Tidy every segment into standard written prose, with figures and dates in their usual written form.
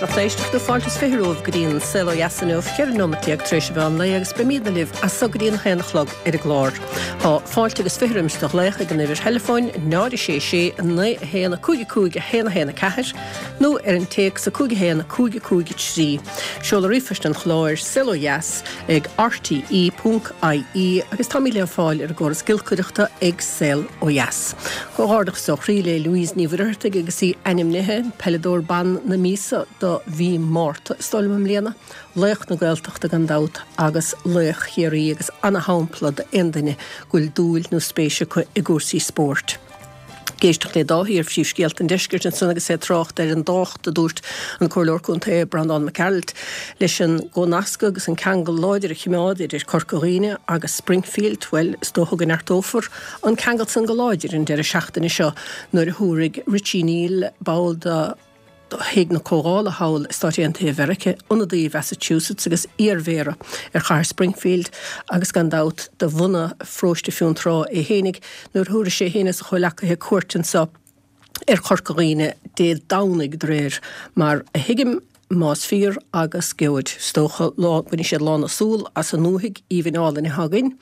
Lucht éisteachta, fáilte is 20 romhaibh go dtí an Saol Ó Dheas inniu, 14 nóimeat tar éis an mheán lae agus beimídne libh as so go dtí an haon a chlog ar an gclár. Tá fáilte agus 20 roimis do ghlaoch ag an uimhir theileafóin 0 6 6 9 1 5 5 1 1 4 nó ar an téacs 5 1 5 5 3. Seoladh ríomhphoist an chláir, saolodheas ag rte ponc ie agus táimid le fáil ar an gcóras giolcaireachta ag Saol Ó Dheas. Comhghairdeachas ó chroí le Louise Ní Mhuircheartaigh agus í ainmnithe Peileadóir Ban na Míosa do mhí Márta is dóigh liom i mbliana. Laoch na Gaeltachta gan dabht agus laoch Chiarraí agus ana-shampla d'aon duine go bhfuil dúil nó spéis acu i gcúrsaí spóirt. Ag éisteacht le Dáithí ar Phríomhscéalta an Deiscirt ansan agus é ag trácht ar an dtábhacht a dúirt an Comhairleoir Contae Breandán Mac Gearailt leis an gcomhnascadh agus an ceangal láidir a chimeád idir Corca Dhuibhne agus Springfield, bhuel, is dócha go neartófar an ceangal san go láidir an deireadh seachtaine seo nuair a thabharfaidh Richie Neal, ball de Thigh na Comhdhála thall i Stáit Aontaithe Mheirice, ionadaí Mhassachusetts agus iar-mhéara ar chathair Springfield agus gan dabht de bhunadh pharóiste Fionntrá é fhéinig, nuair a thabharfaidh sé fhéin is a chomhleacaithe cuairt anso ar Chorca Dhuibhne Dé Domhnaigh de réir mar a thuigim. Más fíor, agus gheobhaid, is dócha, lá, bainfidh siad lán a súl as an ndúthaigh aoibhinn álainn atá againn,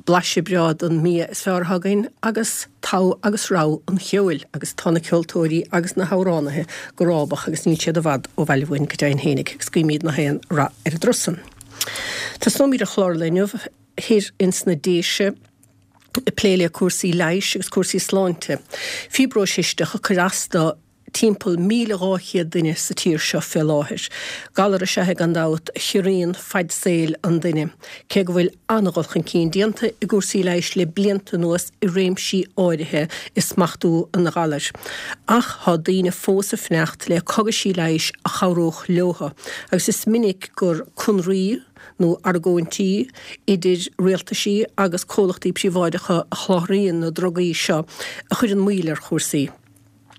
blaiseadh breá den mbia is fearr atá againn, agus togha agus rogha an cheoil, agus tá na ceoltóirí agus na hamhránaithe go rábach agus níl siad i bhfad ó bhaile uainn go deimhin fhéinig, agus guímíd nach aon rath ar an dturas san. Tosnóimíd an chlár inniu thoir ins na Déise ag plé le cúrsaí leighis agus cúrsaí sláinte. Fiobróis chisteach ag cur as do timpeall 1,200 duine sa tír seo fé láthair. Galar is ea é gan dabht a chiorraíonn faid saoil an duine. Cé go bhfuil an-dhul chun cinn déanta i gcúrsaí leighis le blianta anuas i réimsí áirithe i smachtú an ghalair, ach thá daoine fós ag fanacht le cogaisí leighis a chabhródh leotha agus is minic gur conraí nó argóintí idir rialtaisí agus comhlachtaí príobháideacha a sholáthraíonn na drugaí seo a chuireann moill ar chúrsaí.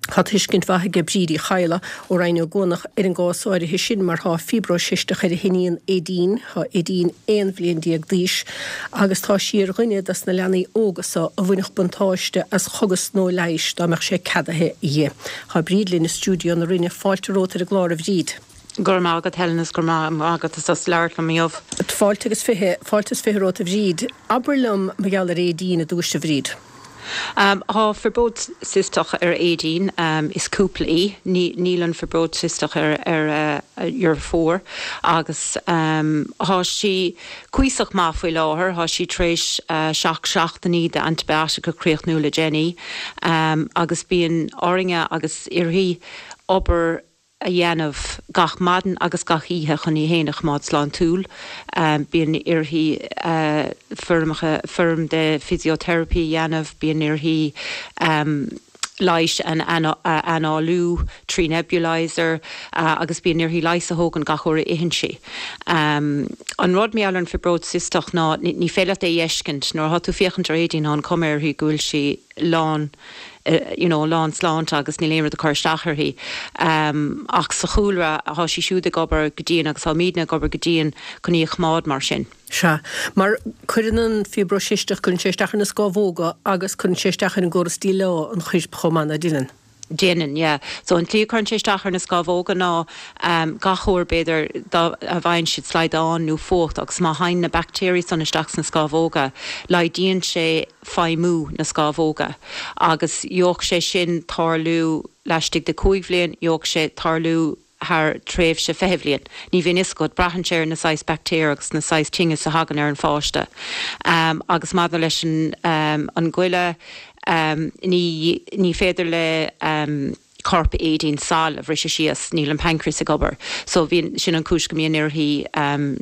Tá tuiscint mhaith aige Bríd Uí Chadhla ó Rinn Ó gCuanach ar an gcás áirithe sin mar thá fiobróis chisteach ar a hiníon Aedín. Thá Aedín 11 bhliain d'aois agus tá sí ar dhuine dos na leanaí óga so a bhainfeadh buntáiste as chogas nua leighis dá mbeadh sé ceadaithe dhi. Thá Bríd linn i stiúideo na Rinne. Fáilte romhat ar an gclár a Bhríd. Go raibh maith agat Helen is go raibh maith agat as labhairt liom inniu. Fáilte agus fiche, fáilte is fiche romhat a Bhríd. Abair liom mar gheall ar Aedín i dtús a Bhríd. Tá fiobróid cisteach ar Aedín, is cúpla í. Níl an fiobróid cisteach ar a dheirfiúr agus tá sí cuíosach maith faoi láthair. Tá sí tar éis 7 seachtainí de antibiotic a chríochnú le déanaí agus bíonn orainne agus uirthi obair a dhéanamh gach maidin agus gach oíche chun í fhéin a choimeád sláintiúil. Bíonn uirthi foirmeacha, foirm de physiotherapy a dhéanamh, bíonn uirthi leigheas a análú trí nebulizer agus bíonn uirthi leigheas a thógaint gach uair a itheann sí. An rud mar gheall ar an fibróid cisteach ná ní féidir leat é a fheiscint. Nuair atá tú féachaint ar Aedín tá an cuma uirthi go bhfuil sí lán you know lán sláinte agus níl aon rud ag cur isteach uirthi. Ach sa chúlra thá sí siúd ag obair go dian agus táimídne ag obair go dian chun í a choimeád mar sin. Sea. Mar cuireann an fiobróis chisteach, cuireann sé isteach ar na scámhóga agus cuireann sé isteach ar an gcóras díleá an choirp chomh maith, ná déanann? Déanann, yeah. So an tslí a cuireann sé isteach ar na scámhóga ná gach uair b'fhéidir dá a bhfaigheann siad slaghdán nó fuacht agus má théann na baictéirí san isteach sna scámhóga laghdaíonn sé feidhmiú na scámhóga agus gheobhadh sé sin tarlú laistigh de 5 bhliain, gheobhadh sé tarlú thar tréimhse 20 bhliain. Ní bhíonn fhios agat, braitheann sé ar na saghas baictéar agus na saghas tinneas a thagann ar an pháiste. Agus maidir leis an an goile, ní ní féidir le corp Aedín sal a bhriseadh síos, níl an pancreas ag obair. So bhíonn, sin an cúis go mbíonn uirthi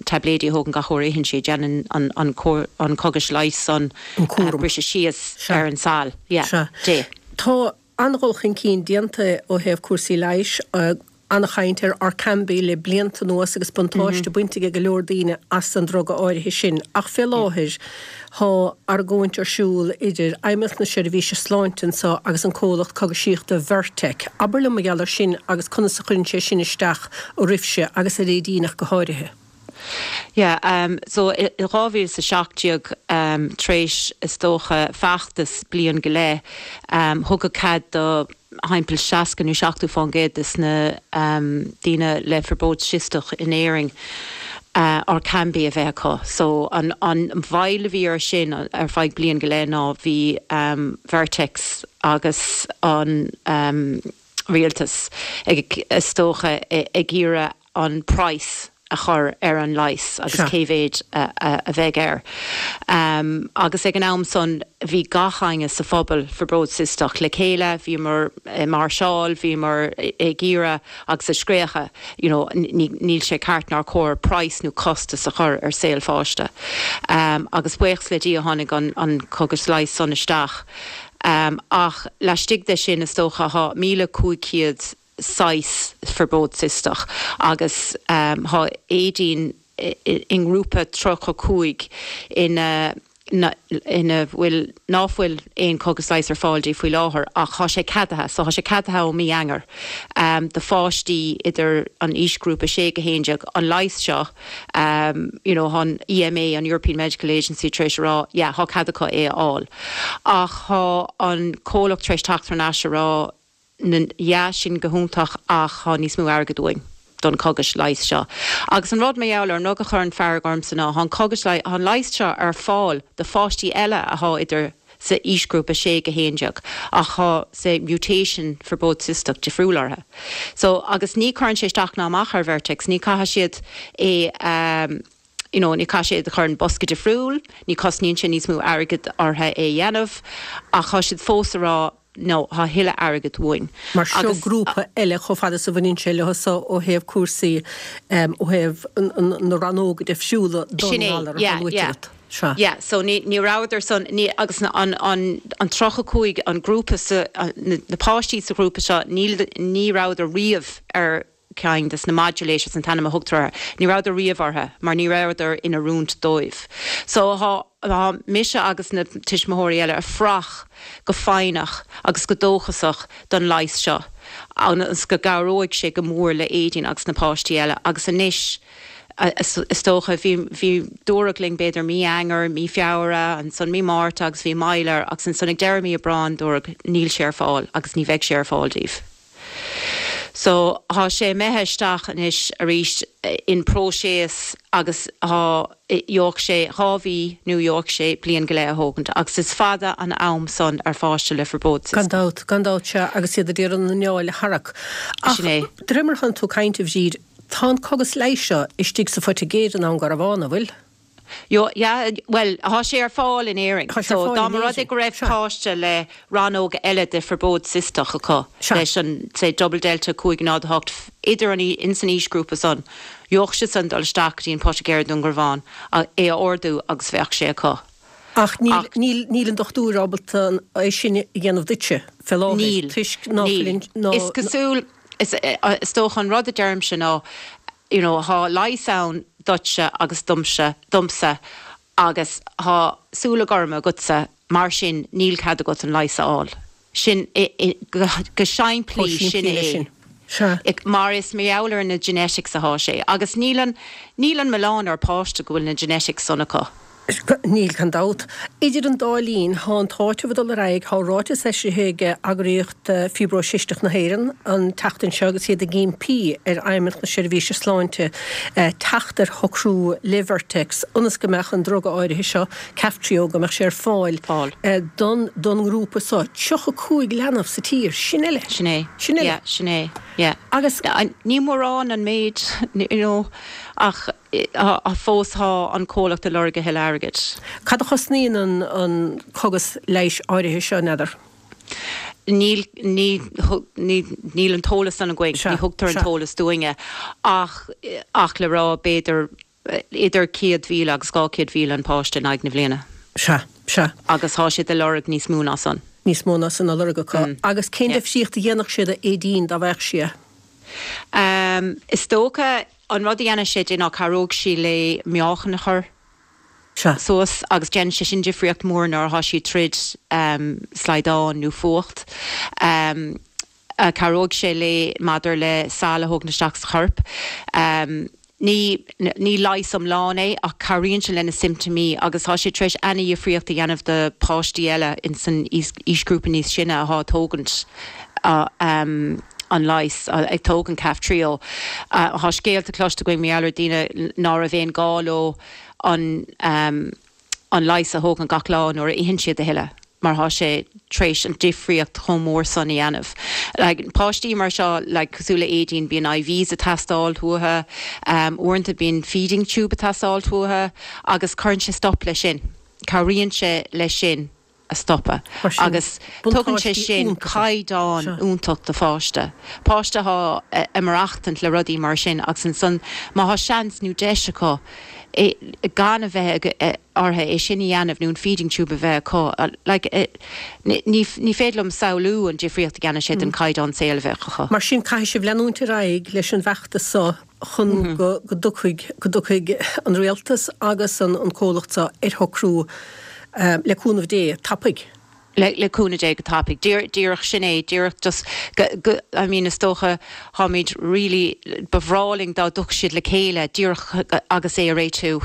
taibléidí a thógaint gach uair a itheann sí, déanann an an an cogas leighis san An cúram. briseadh síos Sea. ar an sal. Yeah. Sea. Dé. Tá an-dhul chun cinn déanta ó thaobh cúrsaí leighis, an-chaint ar Orkambi le blianta anuas agus buntáiste bainte ag go leor daoine as an druga áirithe sin. Ach fé láthair thá argóint ar siúl idir Fheidhmeannacht na Seirbhíse Sláinte anso agus an comhlacht cogaisíochta Vertek. Abair liom mar gheall ar sin agus conas a chuireann sé sin isteach oraibhse agus ar Aedín ach go háirithe. Yeah, so i 2017, tar éis is dócha feachtas bliain go leith, thugadh cead do. thimpeall 60 nó 70 fán gcéad des na daoine le fiobróid chisteach in Éirinn Orkambi a bheith acu. So an mhoill a bhí air sin ar feadh bliain go leith ná bhí Vertex agus an rialtas ag, is dócha, ag iarraidh an praghas a chur ar an leigheas agus cé mhéid a bheidh air. Agus ag an am san bhí gach éinne sa phobal fiobróid cisteach le chéile, bhíomar ag máirseáil, bhíomar ag iarraidh agus ag scréachadh you know níl sé ceart nár chóir praghas nó costas a chur ar saol pháiste. Agus buíochas le Dia tháinig an cógas leighis san isteach. Ach laistigh de sin is dócha thá 1,500 saghas fiobróid cisteach agus thá Aedín i ngrúpa 35 ina ina bhfuil ná fuil aon cógas leighis ar fáil di faoi láthair ach thá sé ceadaithe so thá sé ceadaithe ó mí Eanáir do pháistí idir an aoisghrúpa 6-11 an leigheas seo you know thá an EMA an European Medical Agency tar éis a rá yeah thá cead acu é a fháil ach thá an comhlacht tar éis teacht thar n-ais a rá yeah, sin go hiontach ach thá níos mó airgid uainn don cogas leighis seo. Agus an rud mar gheall air, an rud a chuireann fearg ormsa ná thá an cogas leighis, thá an leigheas seo ar fáil do pháistí eile athá idir sa aoisghrúpa 6-11 ach thá say mutation fiobróid cisteach difriúil orthu. So, agus ní cuireann sé isteach ná amach ar Vertex, ní caithfidh siad é a, you know, ní caithfidh siad a chur in bosca difriúil, ní cosnaíonn sé níos mó airgid orthu é a dhéanamh ach thá siad fós a rá nó thá thuilleadh airgid uainn. Mar seo grúpa eile chomh fada is a bhaineann sé leo so ó thaobh cúrsaí, ó thaobh na rannóga difriúla don ngalar atá luaite agat. Sea. Yeah, so ní, ní rabhadar san, ní, agus an, an, an 35, an grúpa sa, na páistí sa ghrúpa seo, níl, ní rabhadar riamh ar ceann des na modulators an t-ainm a thugtar orthu. Ní rabhadar riamh orthu mar ní rabhadar in oiriúint dóibh. So thá, thá mise agus na tuismitheoirí eile ag fuireach go foighneach agus go dóchasach don leigheas seo agus go gcabhróidh sé go mór le Aedín agus na páistí eile agus anois is dócha bhí, bhí, dúradh linn b'fhéidir mí Eanáir, mí Feabhra, ansan mí Márta agus bhí moill air agus ansan ag deireadh mí Aibreáin dúradh níl sé ar fáil agus ní bheidh sé ar fáil daoibh. So, thá sé imithe isteach anois arís in próiseas agus thá, gheobhadh sé 2 mhí nó gheobhadh sé bliain go leith a thógaint agus is fada an am san ar pháiste le fiobróid Gan dabht, gan dabht, sea, agus iad ag iarraidh an anáil a tharrac. Ach, Sin é. de réir mar atánn tú ag caint, a Bhríd, tá an cogas leighis seo istigh sa Phoitigéir i nDún Garbhán, an bhfuil? Yo, yeah, bhuel, thá sé ar fáil in Éirinn. Tá sé ar So, fáil dá in mba rud é Éirinn. go raibh Sea. páiste le rannóg eile de fiobróid cisteach acu, Sea. leis an, say, double delta 5 0 8, idir an, ins an aoisghrúpa san, gheobhadh siad san dul isteach go dtí an poitigéir i nDún Garbhán, é a ordú agus bheadh sé acu. Ach níl, Ach. níl, níl an dochtúir ábalta é sin a dhéanamh duitse, fé láthair, Níl. toisc ná fuil Níl. an, ná, Is cosúil, is, is dócha an rud a deirimse ná, you know thá leigheas ann duitse agus domsa, domsa agus thá súile gorma agatsa mar sin níl cead agat an leigheas a fháil. Sin, go chomh simplí sin simplí leis é. sin. Sea. Mar is mar gheall ar na genetics athá sé agus níl an, níl an milleán ar páiste go bhfuil na genetics san acu. Níl, gan dabht. Idir an dá linn, thá an t-áiteamh ag dul ar aghaidh, thá ráiteas eisithe ag Eagraíocht Fiobróis Chisteach na hÉireann an tseachtain seo agus iad ag impí ar Fheidhmeannacht na Seirbhíse Sláinte teacht ar shocrú le Vertex ionas go mbeadh an druga áirithe seo, Kaftrio, go mbeadh sé ar fáil don don ngrúpa seo. 35 leanbh sa tír, sin eile. Sin é. Sin eile. Yeah, sin é. Yeah. Agus. Ní mórán an méid, you know, ach. Fós thá an comhlacht ag lorg a thuilleadh airgid. Cad a chosnaíonn an cogas leighis áirithe seo, n'fheadar? Níl, ní, ní, níl an t-eolas san againn, Sea, ní thugtar an sea. t-eolas dúinne ach, ach le rá b'fhéidir idir 100,000 agus 200,000 an páiste in aghaidh na bhliana. Sea, sea. Agus thá siad ag lorg níos mó ná san. Níos mó ná san á lorg acu. Agus cén Yeah. difríocht a dhéanfadh sé do Aedín dá bhfaigheadh sí é? Is dócha An rud a dhéanfaidh sé di ná cabhróidh sí léi meáchan a chur suas agus déanann sé sin difríocht mór nuair atá sí troid slaghdán nó fuacht. Cabhróidh sé léi maidir le sal a thógaint isteach sa chorp. Ní ní leigheas iomlán é ach cabhraíonn sé le na simptimí agus tá sé tar éis ana-dhifríocht a dhéanamh do páistí eile ins an aoisghrúpa níos sine atá ag tógaint. An leigheas, ag tógaint Kaftrio. Tá scéalta cloiste againn mar gheall ar daoine ná raibh aon gá leo an an leigheas a thógaint gach lá nuair a itheann siad a thuilleadh mar thá sé tar éis an difríocht chomh mór san a dhéanamh. Like, páistí mar seo, like, cosúil le Aideen, bíonn IVs ag teastáil uathu, uaireanta bíonn feeding tube ag teastáil uathu agus cuireann sé stop leis sin. Cabhraíonn sé leis sin. a stopadh agus tugann sé sin caighdeán iontach do pháiste. Páiste athá ag maireachtaint le rudaí mar sin agus ansan má thá seans nó deis acu gan a bheith orthu é sin a dhéanamh nó an feeding tube a bheith acu, like, ní féidir liom samhlú an difríocht a dhéanann sé don caighdeán saoil a bheadh acu. Mar sin caithfidh sibh leanúint ar aghaidh leis an bhfeachtas seo chun go dtiocfaidh, go dtiocfaidh an rialtas agus an comhlacht seo ar shocrú le cúnamh Dé, tapaidh. Le cúnamh Dé go tapaidh. Díreach sin é, díreach just go, go, I mean is dócha táimid really, ba bhreá linn dá dtiocfadh siad le chéile díreach agus é a réitiú.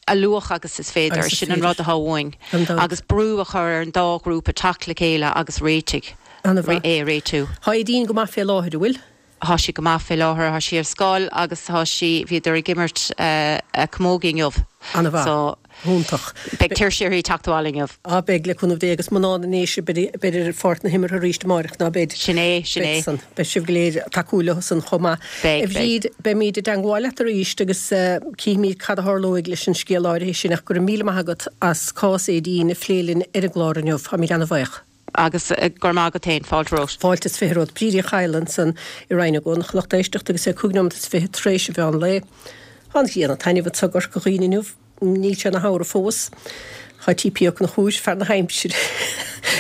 A luaithe agus is féidir, sin an rud atá uainn. Agus brú a chur ar an dá ghrúpa teacht le chéile agus réitigh, é a réitiú. Tá Aideen go maith fé láthair, an bhfuil? Thá sí go maith fé láthair, thá sí ar scoil agus thá sí, bhíodar ag imirt camógaí inniu. Ana-mhaith. So, Iontach. beidh tuirse uirthi teacht abhaile inniu. Á beidh, le cúnamh Dé, agus mná na nDéise, beid, beid ar pháirc na himeartha arís amáireach, ná beid? Sin é, sin é. Beid san. Beidh sibh go léir ag tacú leo san chomh maith. Beidh, A beidh. Bhríd, beimíd i dteangmháil leat arís agus cífimíd cad a tharlóidh leis an scéal áirithe sin ach go raibh míle maith agat as cás Aideen a phlé linn ar an gclár inniu. Táimíd ana-bhaoch. Agus go raibh maith agat féin. Fáilte romhat. Fáilte is 20 romhat. Bríd Uí Chadhla ansan i Rinn na gCuan, a lucht éisteachta agus é 5 nóiméad is 20 tar éis an mheán lae. Tá an ghrian ag taitneamh anso i gCorca Dhuibhne inniu. Níl sé ina shamhradh fós. Tá TP Ó Conchúir, fear na haimsire.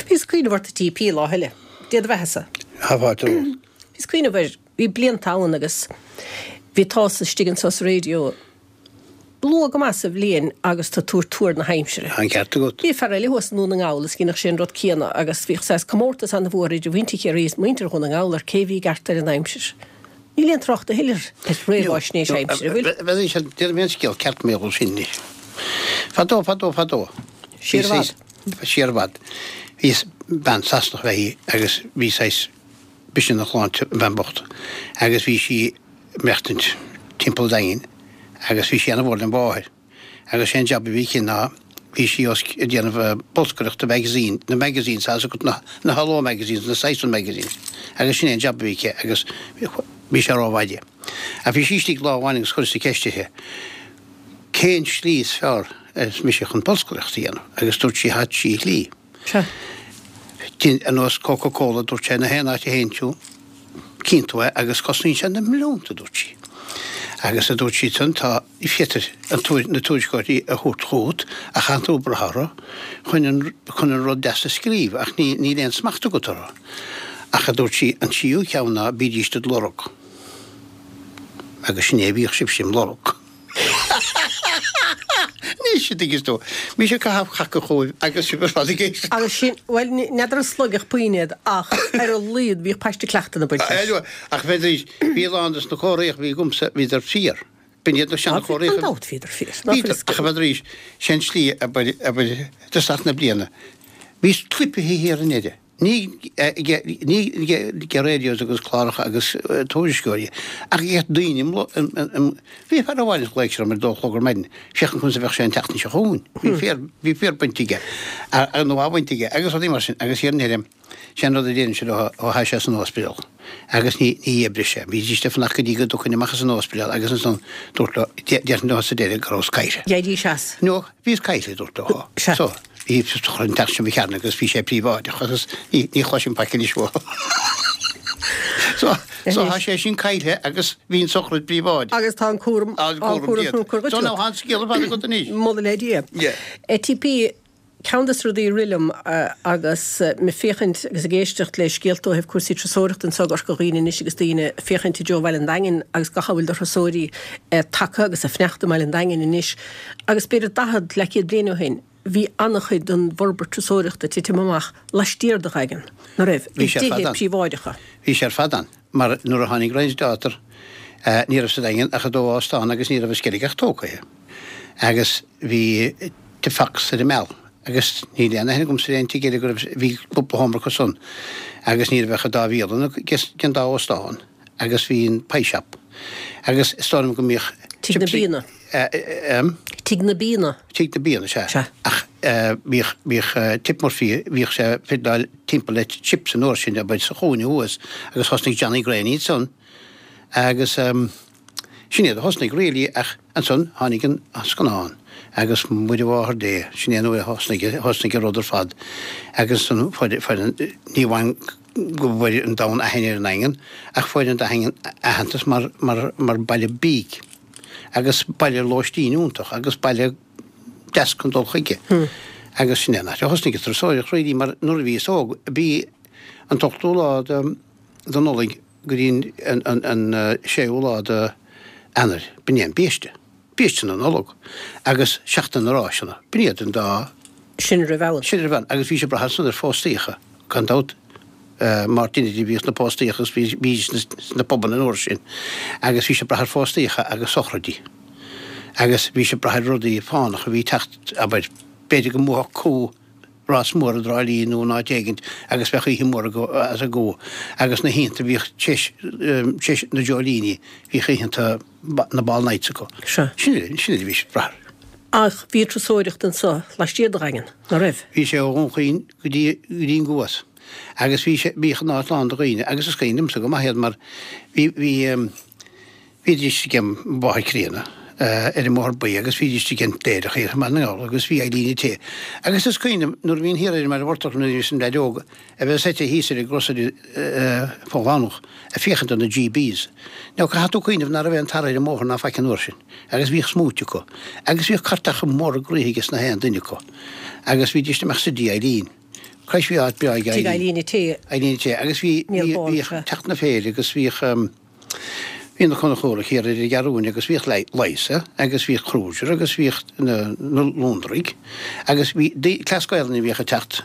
Bhíos ag cuimhneamh ort a TP lá eile. Dé do bheathasa. Tá fáilte romhat. Bhíos ag cuimhneamh air, bhí blianta ann agus bhí tusa istigh anso sa raidió. Luath go maith sa bhliain agus tú ag tabhairt tuar na haimsire. Tá an ceart agat. Bhí fear eile thuas i nDún na nGall is dheineadh sé an rud céanna agus bhíodh saghas comórtas an-mhór idir mhuintir Chiarraí is muintir Dhún na nGall ar cé bhí i gceart ar an aimsir. Níl aon trácht a thuilleadh ar réamháisnéis aimsire, an bhfuil? Bheadh sé, déarfaidh mé an scéal ceart mar gheall sin anois. Fadó, fadó, fadó. Siar i bhfad. Siar i bhfad. Bhí bean Sasanach léi agus bhí saghas b'shin a shláinte, an bhean bocht, agus bhí sí ag maireachtaint timpeall an Daingin agus bhí sí ana-mhór lena mháthair agus sé an jab a bhí aici ná bhí sí os ag déanamh bolscaireachta magazine, na magazines, tá a fhios agat na na Hello magazines, na Saxon magazines agus sin é an jab a bhí aici agus bhí sé rómhaith di. Ach bhí sí istigh lá amháin agus chuireas-sa ceist uirthi cén slí is fearr arsa mise chun bolscaireacht a dhéanamh agus dúirt sí thá trí shlí. Sea. Ar nós Coca Cola, dúirt sé, na haon áit a théann tú, cíonn tú é agus cosnaíonn sé na milliúnta, a dúirt sí. Agus a dúirt sí ansan, tá, féadfair an tuair, na tuairisceoirí a thabhairt chugat ach caithfidh tú brath orthu chun an, chun an rud deas a scríobh ach ní, níl aon smacht agat orthu. Ach a dúirt sí, an tríú ceann ná bídís dod lorg. Agus sin é a bhíodh sibhse im lorg. Anois a dtuigeann tú. Mise ag caitheamh caca chugaibh agus sibh ar fad ag éisteacht. Agus sin, bhuel, n'fheadar an sloigfeadh puinn iad ach ar a laghad bhíodh paiste cleachtaidh na baint leis. Ach bheidís, bhí a lán des na comharthaíocha a bhí agamsa, bhíodar fíor. B'in iad na seana-chomharthaíocha. Gan dabht bhíodar fíor. Ná fuil a Ach bheidís, sé an tslí abair, abair, dtosach na bliana, bhíos clipithe thiar i nDoire. Ní ag radios agus cláracha agus tuairisceoirí, ach ag daoine Bhí fear amháin a ghlaoigh sé orm ar a dó a chlog ar maidin, féachaint conas a bheadh sé an tseachtain seo chugainn. Bhí féar, bhí féar bainte aige, nó á bhaint aige, agus rudaí mar sin, agus thiar i nDoire, sé an rud a deirimse leo, ó tha sé san ospidéal, agus ní, ní oibreodh sé. Bhídís ag fanacht go dtí go dtiocfainn amach as an ospidéal agus ansan dúirt leo, déarfainn leo sa deireadh go rabhas caillte. D'éirís as. No, bhíos caillte, a dúirt leo. Sea. So, bhí an teach sin mo chearn agus bhí sé príobháideach agus ní chloisim faic anois uathu. So, so tá sé sin caillte agus bhí an sochraid príobháideach. Agus tá an cúram, Tá an cúram déanta. So now tá an scéal ar fad agat anois. Moladh le Dia. Yeah. TP, Ceann des rudaí a rith liom agus mé ag féachaint agus ag éisteacht le scéalta ó thaobh cúrsaí turasóireachta anseo i gCorca Dhuibhne anois agus daoine ag féachaint i dtreo Bhaile an Daingin agus gach a bhfuil de thurasóirí tagtha agus ag fanacht i mBaile an Daingin anois agus b'fhéidir 40, leathchéad bliain ó shin bhí an-chuid den bhforbairt turasóireachta ag titim amach laistiar de Dhaingean, ná raibh, i Bhí sé ar fad dtithe ann. príobháideacha. Bhí sé ar fad ann mar nuair a tháinig Ryan's Daughter ní raibh sa Daingean ach an dá óstán agus ní raibh an Sceilg ach tógtha agus bhí The Fox ar an Meal. Agus níl aon aithne agamsa ar aon tigh eile go raibh, bhí cúpla seomra acu san agus ní raibh ach an dá bhialann den dá óstán agus bhí an pie shop. Agus is dóigh liom go mbíodh Tigh na Bíonna. Tigh na Bíonna. Tigh na Bíonna, sea. Sea. Ach bhíodh, bhíodh Tip Murphy, bhíodh sé ag fiddleáil timpeall le chips an uair sin, abair, sa chúinne thuas agus thosnaigh Johnny Graney ansan agus sin iad a thosnaigh really ach ansan tháinig an scannán agus Muire Mháthair Dé, sin é an uair a thosnaigh, thosnaigh an rud ar fad agus ansan fuair, fuair an, ní amháin go bhfuair an domhan aithne ar an nDaingean ach fuair an Daingean aitheantas mar, mar, mar baile bídh agus baile lóistín iontach agus baile deas chun dul chuige. Agus sin é an áit a thosnaigh an turasóireacht really mar nuair a bhíos óg bhí an t-ochtú lá de, de Nollaig go dtí an, an, an séú lá de Eanáir, b'in é an biaiste. Biaiste na Nollag agus Seachtain na Ráiseanna. B'in iad an dá. Sin a raibh ann. Sin a raibh ann agus bhí sé ag brath ansan ar phóstaíocha, gan dabht. Mar duine a bhíodh sna póstaíocha agus bhí bhídís sna pubanna an uair sin agus bhí sé ag brath ar phóstaíocha agus sochraidí agus bhí sé ag brath ar rudaí fánacha a bhí ag teacht, abair, b'fhéidir go mbuafadh cú rás mór i dTrá Lí nó in áit éigint agus bheadh oíche mhór as an gcú agus na hoícheanta bhíodh tar éis na dreoilíní bhíodh oícheanta na ball nights acu. Sea. Sin é, sin é a bhí sé ag brath air. Ach bhí turasóireacht anso laistiar de Dhaingean, ná raibh? Bhí sé ó Dhún Chaoin go dtí, go dtí an gCuas agus bhí sé, bhíodh an áit lán de dhaoine agus is cuimhin liomsa go maith iad mar bhí, bhí, bhídís ag an mBóthar Críonna ar an mBóthar Buí agus bhídís ag an gCléireach thiar i mBaile na nGall agus bhí Eileen ag té. Agus is cuimhin liom nuair a bhínn thiar ar an mBaile Mhurtach nuair a bhíos im leaid óg a bheith suite thíos ar an gcrosaire fá Dhomhnach ag féachaint do na GBs. Now caithfidh tú cuimhneamh ná raibh aon tar ar an mbóthar ná faic an uair sin agus bhíodh smúit acu agus bhíodh cairteacha móra groíthe aige sna haon duine acu agus bhídís ag imeacht sa dTigh Eileen. Christ bhí áit breá ag Tigh Eileen an tae. Eileen an tae agus bhí bhíodh teacht na féile agus bhíodh Bhí na Conchúraigh thiar ar an gCeathrúin agus bhíodh Liza agus bhíodh Kruger agus bhíodh na Lúndraigh agus bhí cleas Gaelainne a bhíodh ag teacht.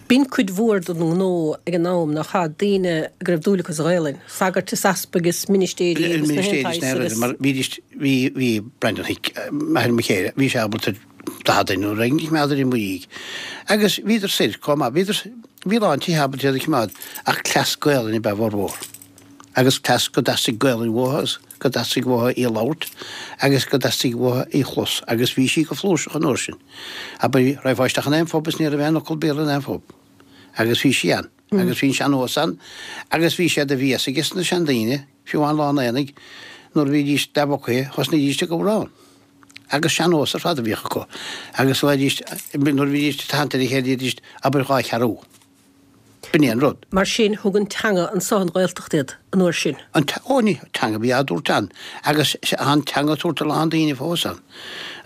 B'in cuid mhór den ngnó ag an am, nach ea, daoine go raibh dúil acu sa Ghaelainn, sagairt is easpaig is ministéirí agus na haon saghas agus. Mar bhídís, bhí, bhí Brendan Hick, athair mo chéile, bhí sé ábalta 40 duine nó rud éigin a choimeád ar an Mhuirígh agus bhíodar soir chomh maith, bhíodar, bhí a lán tithe ábalta iad a choimeád ach cleas Gaelainne ab ea a bhformhór. agus cleas go dteastaigh Gaelainn uathu agus go dteastaigh uathu í a labhairt agus go dteastaigh uathu í a chlos agus bhí sí go flúirseach an uair sin. Abair, raghfá isteach in aon phub is ní raibh aon fhocal Béarla in aon phub. Agus bhí sí ann. Agus bhí an sean-nós ann agus bhí sé de bhéas ages na seandaoine, fiú amháin lá an aonaigh, nuair a bhídís leathbhocaithe, thosnaídís ag amhrán. Agus sean-nós ar fad a bhíodh acu. Agus bhídís, nuair a bhídís ag tathant ar a chéile, deiridís, abair dhá cheathrú. B'in é an rud. Mar sin, thug an teanga anso an Ghaeltacht iad, an uair sin. An te, ó ní, teanga bhí á dtabhairt ann, agus tá an teanga á tabhairt a lán daoine fós ann.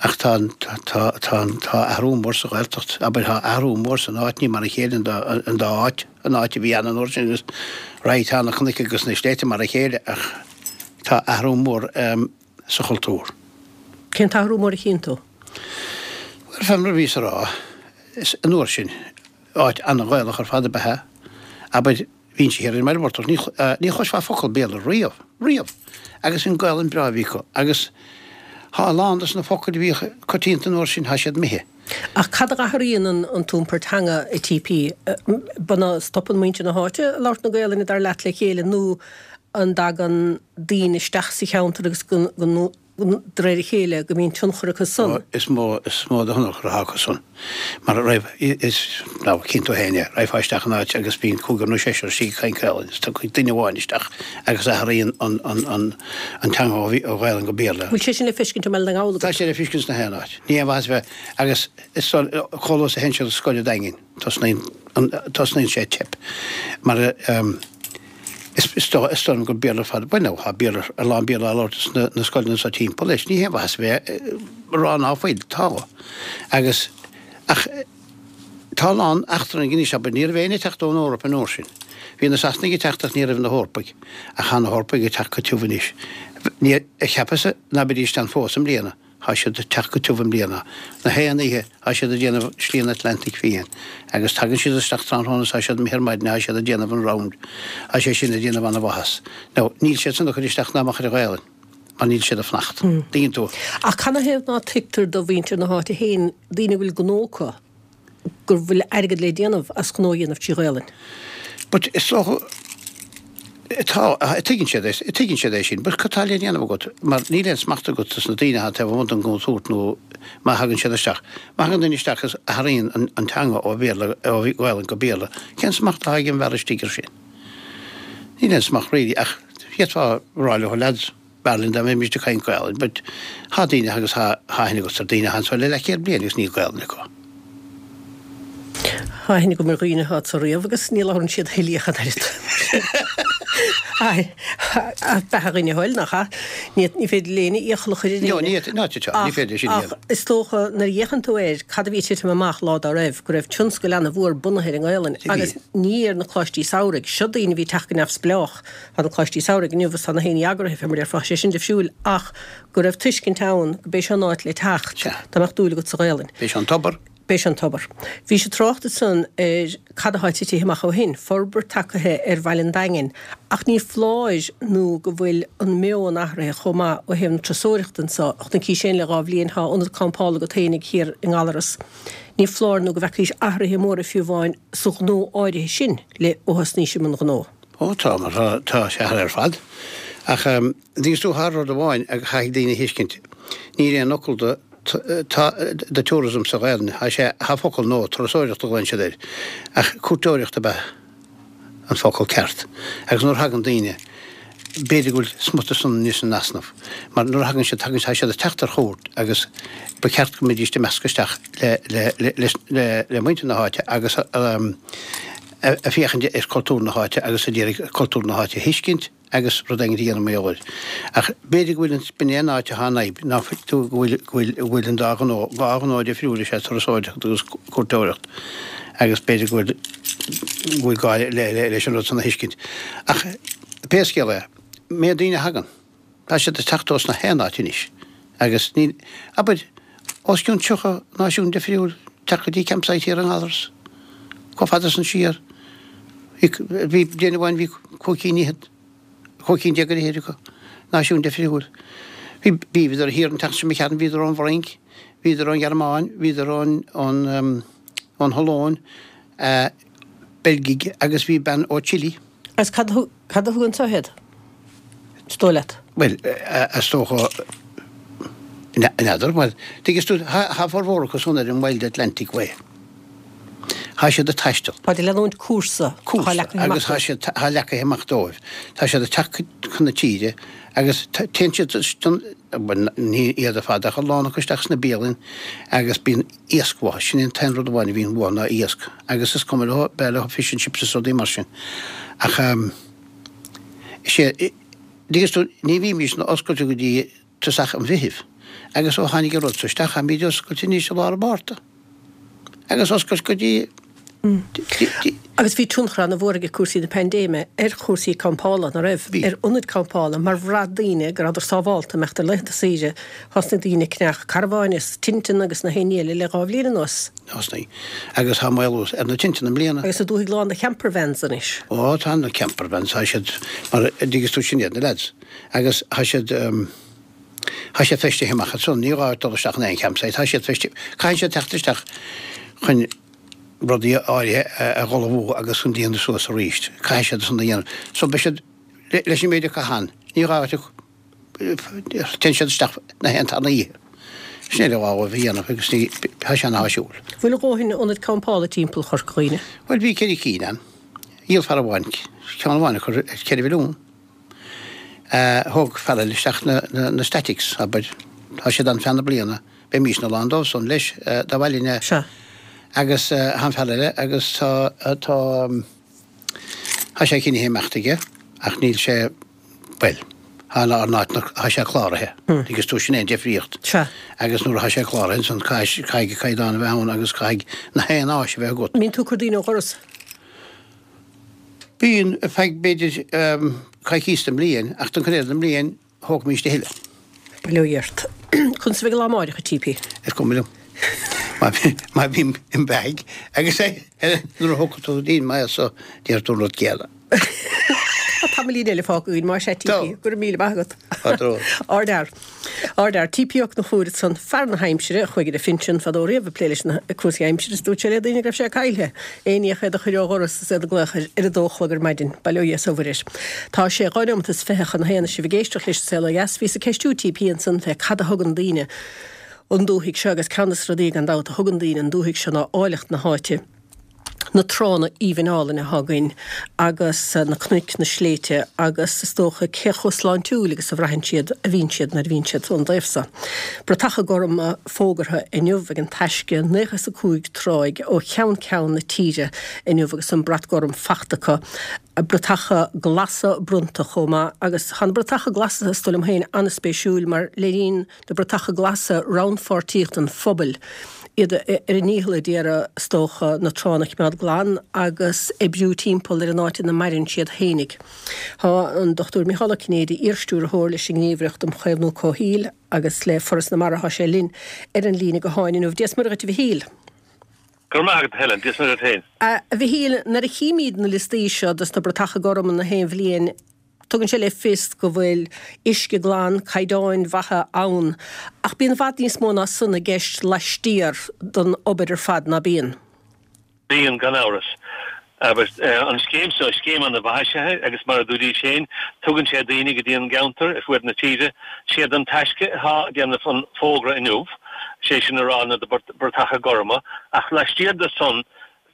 Ach tá an, tá, tá an, tá athrú mór sa Ghaeltacht, abair, tá athrú mór san áit, ní mar a chéile an dá, an dá áit, an áit a bhí ann an uair sin agus, right, tá na cnoic agus na sléibhte mar a chéile ach tá athrú mór sa chultúr. Cén t-athrú mór a chíonn tú? Bhuel, fé mar a bhíos a rá, is an uair sin, Áit an-Ghaelach ar fad ab ea é. Abair, bhínnse thiar ar an mBaile Mhurtach, ní, ní chloisfeá focal Béarla riamh, riamh! Agus an Gaelainn breá a bhí acu. Agus thá a lán dos na focail a bhíodh coitianta an uair sin, thá siad imithe. Ach cad a athraíonn an, an t-iompar teanga, a TP? An stopann muintir na háite ag labhairt na Gaelainne, dar leat, le chéile nó an dtagann daoine isteach sa cheantar agus go, go, de réir a chéile, go mbíonn tionchar acu san. Is mó, is mó de thionchar atá acu san. Mar a raibh, is, now, cíonn tú féin é, raghfá isteach in áit agus bíonn cúigear nó seisear istigh ag caint Gaelainn, is tiocfaidh duine amháin isteach agus athraíonn an, an, an, an teanga ó, ó Ghaelainn go Béarla. Bhfuil sé sin le feiscint i mBaile na nGall agat? Tá sé le feiscint sna haon áit. Ní haon mhaitheas a bheith, agus is, chomh luath is a théann siad scoil an Daingin. Tosnaíonn an, tosnaíonn sé ag teip. Mar is, is dóigh, is dóigh liom gur Béarla ar fad, bhuel now, tá Béarla, a lán Béarla á labhairt sna, na scoileanna seo timpeall leis, ní haon mhaitheas a bheith ag rá ná fuil, tá. Agus, ach tá a lán eachtrannaigh anois, abair, ní raibh éinne ag teacht ón Eoraip an uair sin. Bhí na Sasanaigh ag teacht ach ní raibh na hEorpaigh. Ach tá na hEorpaigh ag teacht go tiubh anois. Ní, cheapas-sa ná beidís ann fós i mbliana. Thá siad ag teacht go tiubh i mbliana. Na haon oíche thá siad ag déanamh Slí an Atlantaigh Fiáin. Agus tagann siad isteach tráthnóna is thá siad imithe ar maidin thá siad ag déanamh an round. Thá sé sin ag déanamh ana-mhaitheas. Now, níl siad san ag cur isteach ná amach ar an Ghaelainn, mar níl siad ag fanacht. Dtuigeann tú? Ach canathaobh ná tuigtear do mhuintir na háite féin, daoine a bhfuil gnó acu? go bhfuil airgead le déanamh as gnó a dhéanamh trí Ghaolainn. But is dócha, tá, tuigeann siad é, tuigeann siad é sin, but cad tá le déanamh agat mar níl aon smacht agat ar na daoine atá taobh amuigh den gcontúirt nó má thagann siad isteach, má thagann duine isteach is athraíonn an, an teanga ó Bhéarla, ó Ghaolainn go Béarla, cén smacht atá ag an bhfear istigh ar sin? Níl aon smacht really ach d'fhéadfá a rá leo lads, B'fhearr linn dá mbeimis ag caint Gaelainn but thá daoine agus thá aithne agat ar daoine atá anso le leathchéad bliain agus níl Gaelainn acu. Thá aithne agam ar dhaoine atá anso riamh agus ní labhrann siad a thuilleadh ach an oiread. Beatha dhuine a thoil, nach ea? Ní féidir le éinne iachall a chur ar éinne. No, ní, ní féidir sin a dhéanamh. Ach is dócha nuair a fhéachann tú air, cad a bhí ag titim amach lá dá raibh, go raibh tionscal ana-mhór bunaithe ar an nGaelainn agus ní ar na coláistí samhraidh. Seo daoine a bhí ag teacht go neamhspleách. Tá na coláistí samhraidh inniu agus tá na haon ní eagraithe, fé mar a déarfá, sé sin difriúil ach go raibh tuiscint ann go b'é seo an áit le teacht dá mbeadh dúil agat sa Ghaelainn. B'é seo an tobar. B'é seo an tobar. Bhís ag trácht ansan ar cad atá titithe amach ó shin, forbairt tagaithe ar bhaile an Daingin ach ní foláir nó go bhfuil an meon athraithe chomh maith ó thaobh na turasóireachta anso. Chonaicís féin le dhá bhliain, tá ionad campála agat féinig thiar i nGallaras. Ní foláir nó go bhfeacaís athraithe móra fiú amháin sa ghnó áirithe sin le ó thosnaís i mbun gnó. Ó tá, mar tá, tá sé athraithe ar fad. Ach dtuigeann tú thá rud amháin a chaithfidh daoine a thuiscint, níl aon fhocal do, tá, do tourism sa Ghaelainn, thá sé, thá focal nua, turasóireacht a ghlaonn siad air, ach cuairteoireacht ab ea an focal ceart. Agus nuair a thagann daoine, b'fhéidir go bhfuil smut san anois in easnamh, mar nuair a thagann siad, tagann, tá siad ag teacht ar chuairt agus ba cheart go mbeidís ag meascadh isteach le, le, le, le, le muintir na háite agus ag féachaint ar cultúr na háite agus ag iarraidh cultúr na háite a thuiscint agus rud éigin a dhéanamh mar gheall air. Ach b'fhéidir go bhfuil an, b'in é an áit atá an fhadhb, ná fuil tú, go bhfuil, go bhfuil, go bhfuil an dá ghnó, dhá ghnó difriúil is ea turasóireacht agus cuairteoireacht agus b'fhéidir go bhfuil, go bhfuil gá le, le, leis an rud san a thuiscint. Ach pé scéal é, méid daoine a thagann. Tá siad ag teacht ós na haon áit anois agus níl, abair, os cionn 30 náisiún difriúil ag teacht go dtí campsite thiar i nGallaras. Chomh fada san siar, bhí, bliain amháin bhí cúig cinn fhichead, cúig cinn déag ar fhichid acu, náisiún difriúil. Bhí, bhíodar thiar an tseachtain seo imigh tharainn, bhíodar ón bhFrainc, bhíodar ón Ghearmáin, bhíodar ón, ón, ón Ollainn, Beilgigh agus bhí bean ó Chile. Agus cad a Cad a thug anseo iad, is dóigh leat? Bhuel, is dócha, n'fheadar, bhuel, tuigeann tú, thá formhór acu san ar an Wild Atlantic Way. Thá siad ag taisteal. Táid ag leanúint cúrsa atá leagtha amach dóibh. Cúrsa, agus thá siad, thá leagtha amach dóibh. Tá siad ag teacht chun na tíre agus téann siad, bhuel, ní iad ar fad ach a lán acu isteach sna bialanna agus bíonn iasc uathu. Sin é an t-aon rud amháin a bhíonn uathu ná iasc. Agus is cuma leo, b'fhearr leo fish and chips is rudaí mar sin. Ach is é, dtuigeann tú, ní bhímís oscailte go dtí tosach an Mheithimh. Agus ó tháinig an rud so isteach, táimid oscailte anois i lár an Mhárta. Agus oscailt go dtí. Agus bhí tionchar ana-mhór ag cúrsaí na paindéime ar chúrsaí campála, ná raibh? Bhí. Ar ionaid campála, mar bhraith daoine go rabhadar sábhálta imeacht ar laethanta saoire. Thosnaigh daoine ag ceannach carbháin is tinteanna agus na haon ní eile le dhá bhliain anuas. Thosnaigh. Agus tá maolú ar na tinteanna i mbliana. Agus na dúthaigh lán de champervans anois. Ó, tá na campervans, tá siad, mar a dtuigeas tú, sin iad na lads. Agus tá siad, tá siad feistithe amach ansan, ní gá dul isteach in aon campsite, tá siad feistithe, caithfidh siad teacht isteach chun, rudaí áirithe a dh'ullmhú agus chun déanamh suas arís. Caithfidh siad san a dhéanamh. So beidh siad, leis an méid acu ann, ní gá duit, téann siad isteach na haon tarna oíche. Sin é le gá dóibh a dhéanamh agus ní, tá sé ana-áisiúil. Bhfuil a dhóthain ionad campála timpeall Chorca Dhuibhne? Bhuel bhí ceithre cinn ann. Dhíol fear amháin ceann amháin acu ar cheithre mhilliún. Thóg fear eile isteach na statics, abair. Tá siad ann feadh na bliana. Bheimísne lán dóibh san leis dá bhfaighinn é. Sea. Agus tá an fear eile agus tá, tá, tá sé cinnithe imeacht aige ach níl sé, bhuel, tá ár n-áit, tá sé cláraithe. Agus tú, sin é an difríocht. Sea. Agus nuair atá sé cláraithe ansan caithfidh, caithfidh caighdeán a bheith ann agus caithfidh na haon áis a bheith agat. An mbíonn tú ag cur daoine ó dhoras? Bíonn, ar feadh b'fhéidir coicís den mbliain ach don chuid eile den mbliain, Thógfaimís a thuilleadh. Bail ó Dhia ort. Conas a bheidh an lá amáireach, a TP? Is cuma liom. Má bhím im bheathaidh agus nuair a thógfaidh tú dínn mé so déarfaidh tú an rud céanna. Tá. Tamaillín eile fágtha againn, más ea, TP. Go raibh míle maith agat. Ardfhear. Ardfhear. TP Ó Conchúir ansan, fear na haimsire, a chuaigh ar a phinsean fadó riamh ag plé leis na cúrsaí aimsire is dúirt sé le daoine go raibh sé caillthe. Aon ní ach iad a chur ó dhoras is iad ag glaoch air ar a dó a chlog ar maidin. Bail ó Dhia is ó Mhuire air. Tá sé 2 neomat is 20 chun a haon is sibh ag éisteacht leis an Saol Ó Dheas. Bhíos ag ceistiú TP ansan fé cad a thugann daoine 'on dúthaigh seo agus ceann de na rudaí gan dabht a thugann daoine 'on dúthaigh seo ná áilleacht na háite. na tránna aoibhinn álainn atá againn agus na cnoic, na sléibhte agus is dócha cé chomh sláintiúil agus a bhraitheann siad a bhíonn siad nuair a bhíonn siad ón dtaobh so. Bratacha gorma fógartha inniu ag an Taisce, 95 tráigh ó cheann ceann na tíre inniu agus an brat gorm fachta acu. Bratacha glasa bronnta chomh maith agus tá na bratacha glasa is dóigh liom féin an-spéisiúil mar léiríonn na bratacha glasa rannpháirtíocht an phobail, iad ar a ndícheall a d'iarraidh, is dócha, na tránna a choimeád glan agus oibriú timpeall ar an áit ina maireann siad fhéinig. Tá an Dr Micheál Ó Cinnéide, iar-stiúrthóir leis an nGníomhaireacht um Chaomhnú Comhshaoil agus le Foras na Mara, tá sé linn ar an líne gutháin inniu. Dia 's Muire dhuit a Mhichíl. Go raibh maith agat, a Helen. Dia 's Muire duit féin. A Mhichíl, nuair a chímíd na liostaí seo dos na bratacha gorma na haon bhliain, Tugann sé le fios go bhfuil uisce glan, caighdeáin mhaithe ann, ach bíonn i bhfad níos mó ná san i gceist laistiar den obair ar fad, ná bíonn? Bíonn, gan amhras. Abair, an scéim seo, scéim ana-mhaith is ea é agus mar a dúraís féin, tugann sé daoine go dtí an gceantar ar fuaid na tíre. Siad an Taisce atá ag déanamh an fógra inniu, sé sin a rá na bratacha gorma, ach laistiar de san,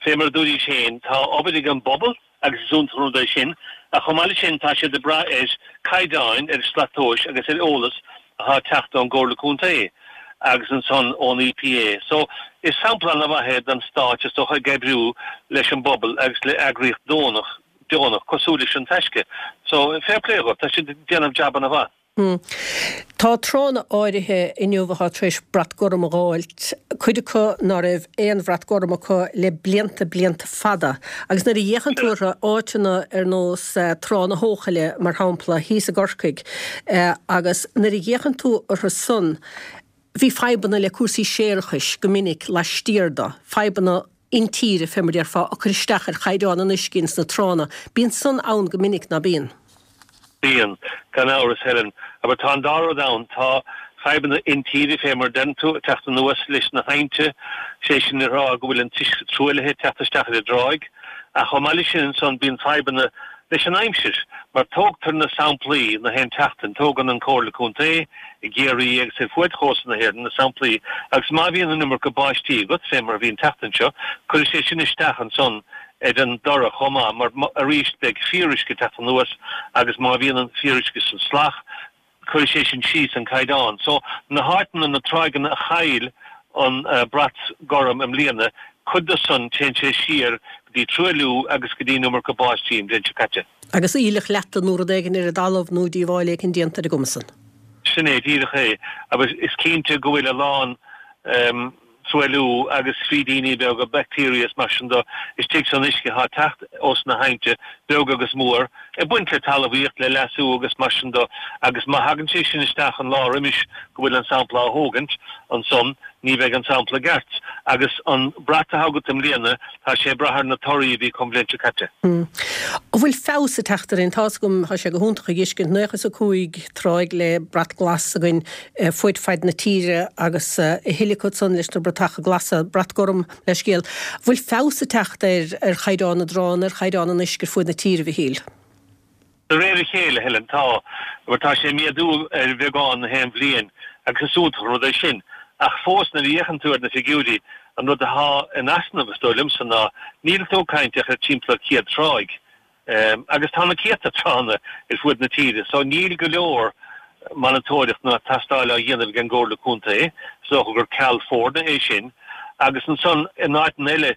fé mar a dúraís féin, tá obair ag an bpobal, agus is iontach an rud é sin, ach chomh maith leis sin tá siad ag brath ar caighdeáin, ar shlat tomhais agus ar eolas atá ag teacht ón gComhairle Contae agus ansan ón EPA. So, is sampla ana-mhaith é den Stát is dócha ag oibriú leis an bpobal agus le eagraíocht deonach, deonach cosúil leis an Taisce. So, fair play dhóibh, tá siad ag déanamh jab ana-mhaith. Tá tránna áirithe inniu atá tar éis brat gorm a dh'fháilt, cuid acu ná raibh aon bhrat gorm acu le blianta, blianta fada. Agus nuair a fhéachann tú orthu, áiteanna ar nós Trá na hEochaille, mar shampla, thíos i gCorcaigh, agus nuair a fhéachann tú orthu san, bhí fadhbanna le cúrsaí séarachais go minic laistiar de, fadhbanna intíre, fé mar déarfá, ag cur isteach ar chaighdeán an uisce ins na tránna. Bíonn san ann go minic, ná bíonn? Bíonn, gan amhras, Helen. Abair, tá an dá rud ann. Tá fadhbanna intíre, fé mar a deireann tú, ag teacht anuas leis na haibhnte, sé sin a rá go bhfuil an t-uisce truaillithe ag teacht isteach ar an dtráigh. Ach chomh maith leis sin ansan bíonn fadhbanna leis an aimsir, mar tógtar na samplaí na haon tseachtain, tógann an Comhairle Contae, i gCiarraí agus ar fuaid chósta na hÉireann, na samplaí, agus má bhíonn an iomarca báistí agat, fé mar a bhí an tseachtain seo, cuirfidh sé sin isteach ansan ar an dtoradh chomh maith, mar arís beidh fíoruisce ag teacht anuas agus má bhíonn an fíoruisce san salach, cuirfidh sé sin síos an caighdeán. So, na háiteanna, na tráigheanna a chaill an brat gorm i mbliana, cuid de san, téann sé siar go dtí truailliú agus go dtí an iomarca báistí an bhliain seo caite. Agus aoileach leata nó rud éigin ar an dtalamh nó díobháil éicint déanta ar an gcuma san. Sin é díreach é. Agus is cinnte go bhfuil a lán truailliú agus frídíní beaga, bacteria is mar sin de, istigh san uisce atá ag teacht ós na haibhnte, beag agus mór, ag baint le talmhaíocht, le leasú agus mar sin de. Agus má thagann sé sin isteach an lá roimis go bhfuil an sampla á thógaint, ansan ní bheidh an sampla ceart. Agus an brat atá agat i mbliana, tá sé ag brath ar na torthaí a bhí acu an bhliain seo caite. An bhfuil feabhas ag teacht ar aon? Tá's agam, tá sé go hiontach a dh'fheiscint, 95 tráigh le brat glas againn fuaid faid na tíre agus a thuilleadh acu san leis na bratacha glasa, brat gorm le scéal. An bhfuil feabhas ag teacht ar ar chaighdeán na dtránna, ar chaighdeán an uisce ar fuaid na tíre, a Mhichíl? De réir a chéile, Helen, tá. Mar tá sé ag méadú ar bheagán na haon bhliain agus is iontach an rud é sin. Ach fós, nuair a fhéachann tú ar na figiúirí, an rud atá in easnamh, is dóigh liomsa, ná níl tú ag caint ach ar timpeall ar 100 tráigh. Agus tá na céadta tránna ar fuaid na tíre, so níl go leor monatóireacht ná tastáil á dhéanamh ag an gComhairle Contae. Is dócha gur ceal foirne é sin. Agus ansan, in áiteanna eile,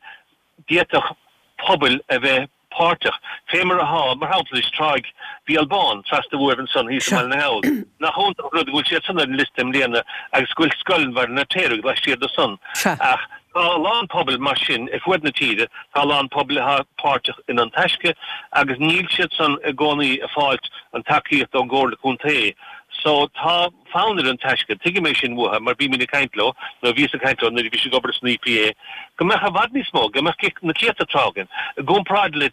d'fhéadfadh pobail a bheith páirteach, fé mar atá, mar shampla, anois, Tráigh Bhéal Bán, trasna uaibh ansan thíos i mBaile na nGall. Nach iontach an rud go bhfuil siad san ar an liosta i mbliana agus go bhfuil Scoil Bhaile an Fheirtéaraigh laistiar de san. Ach tá a lán pobail mar sin ar fuaid na tíre, tá a lán pobail atá páirteach in An Taisce agus níl siad san i gcónaí ag fáilt an tacaíocht ón gComhairle Contae. So tá fonn ar an Taisce, tuigim é sin uathu mar bímid ag caint leo, nó bhíos ag caint leo nuair a bhí siad ag obair san EPA, go mbeadh i bhfad níos mó, go mbeadh na céadta trá againn. I gcomparáid le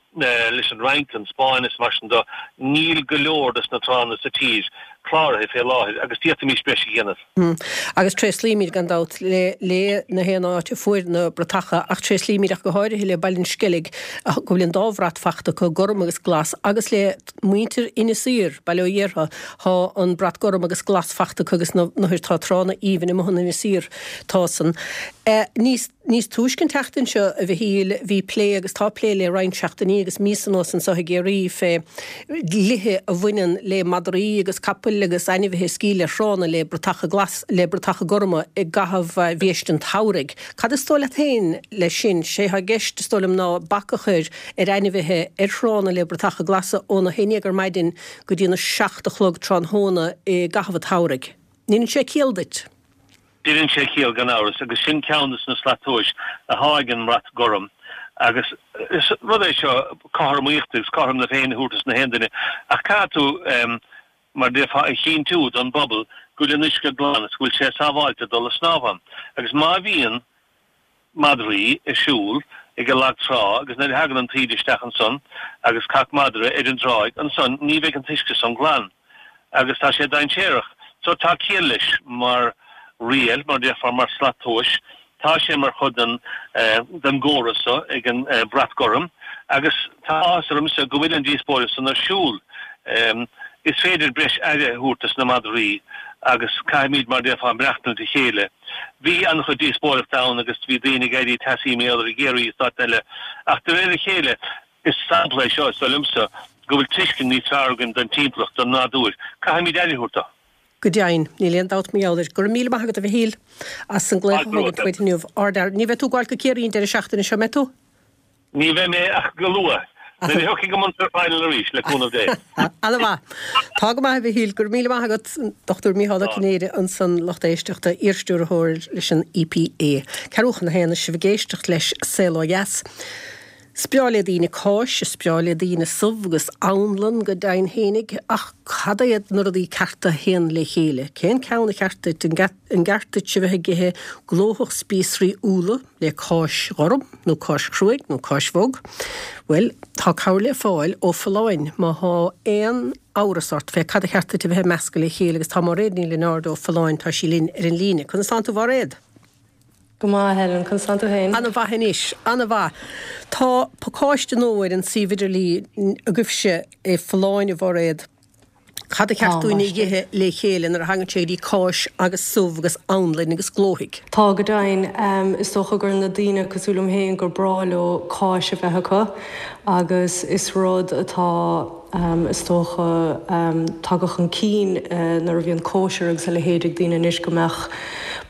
leis an Fhrainc, an Spáinn is mar sin de, níl go leor des na tránna sa tír cláraithe fé láthair agus d'fhéadfaimis breis a dhéanamh. Agus tréaslaímid, gan dabht, le le na haon áit a fuair na bratacha, ach tréaslaímid ach go háirithe le Baile an Sceilg, go bhfuil an dá bhrat fachta acu, gorm agus glas, agus le muintir Inis Oírr, Baile Ó Dhéartha, thá an brat gorm agus glas fachta acu agus na tá tránna aoibhinn amuigh in Inis Oírr, tá san. Níos. Níos túisce an tseachtain seo, a Mhichíl, bhí plé agus tá plé le roinnt seachtainí agus míosa anuas anseo i gCiarraí fé dhlíthe a bhaineann le madraí agus capaill agus ainmhithe ag sciáil ar thránna le bratacha glas, le bratacha gorma i gcaitheamh bhiaiste an tsamhraidh. Cad is dóigh leat féin leis sin? Sé atá i gceist, is dóigh liom, ná bac a chur ar ainmhithe ar thránna le bratacha glasa óna haon dhéag ar maidin go dtí na seacht a chlog tráthnóna i gcaitheamh an tsamhraidh. Ndeineann sé ciall duit? Deineann sé ciall gan amhras agus sin ceann de na slat tomhais athá ag an mBrat Gorm agus is rud é seo cothromaíocht agus cothrom na Féinne a thabhairt dos na haon duine ach caithfidh tú mar déarfá a chinntiú don bpobal go bhfuil an uisce glan is go bhfuil sé sábháilte dul a snámh ann agus má bhíonn madraí ag siúl ag an lag trá agus nuair a thagann an taoide isteach ansan agus cac madra ar an dtráigh ansan ní bheidh an t-uisce san glan agus tá sé dainséarach. So tá ciall leis mar riail, mar déarfá, mar slat tomhais. Tá sé mar chuid den den gcóras so ag an Brat Gorm agus tá áthas ormsa go bhfuil an díospóireacht san ar siúl. Is féidir breis aire a thabhairt dos na madraí agus caithfimid mar déarfá maireachtaint le chéile. Bhí an-chuid díospóireachta ann agus bhí daoine ag éirí teasaí mar gheall air i gCiarraí is áiteanna eile ach de réir a chéile is sampla é seo, is dóigh liomsa, go bhfuil tuiscint níos fearr againn don timpeallacht, don nádúr. Caithfimid aire a thabhairt dó. Go deimhin, níl aon dabht mar gheall air. Go raibh míle maith agat a Mhichíl as an glaoch a thógaint uait inniu. Ard-fhear. Ní bheidh tú ag gabháil go Ciarraí an deireadh seachtaine seo, mbeidh tú? Ní bheidh mé ach go luath, nuair a thiocfaidh an Munster Final arís, le cúnamh Dé. Ana-mhaith. Tá go maith, a Mhichíl. Go raibh míle maith agat. Dr Mícheál Ó Cinnéide ansan, lucht éisteachta, iarstiúrthóir leis an EPA. Ceathrú chun a haon, is sibh ag éisteacht leis Saol Ó Dheas. Is breá le daoine cáis, is breá le daoine subh agus anlann go deimhin fhéinig, ach cad iad na rudaí cearta a théann le chéile? Cén ceann a cheart duit? An gceart duit a bheith ag ithe glóthach spíosraí úlla le cáis ghorm nó cáis chruaidh nó cáis bhog? Bhuel, tá cabhair le fáil ó Folláin má thá aon amhras ort fé cad a cheart duit a bheith ag meascadh le chéile agus tá Máiréad Ní Lionáird ó Folláin, tá sí linn ar an líne. Conas tánn tú, Mháiréad? Go maith, a Helen. Conas tánn tú féin? Ana-mhaith anois. Ana-mhaith. Tá pacáiste nua ar an suíomh idirlín agaibhse i Folláin, a Mháiréad. Cad a cheart dúinn a dh'ithe le chéile nuair a thagann sé go dtí cáis agus subh agus anlainn agus glóthaigh? Tá, go deimhin. Is dócha gur na daoine cosúil liom féin gur breá leo cáis a bheith acu agus is rud atá, is dócha, tagtha chun cinn nuair a bhíonn cóisir agus a leithéid ag daoine anois go mbeadh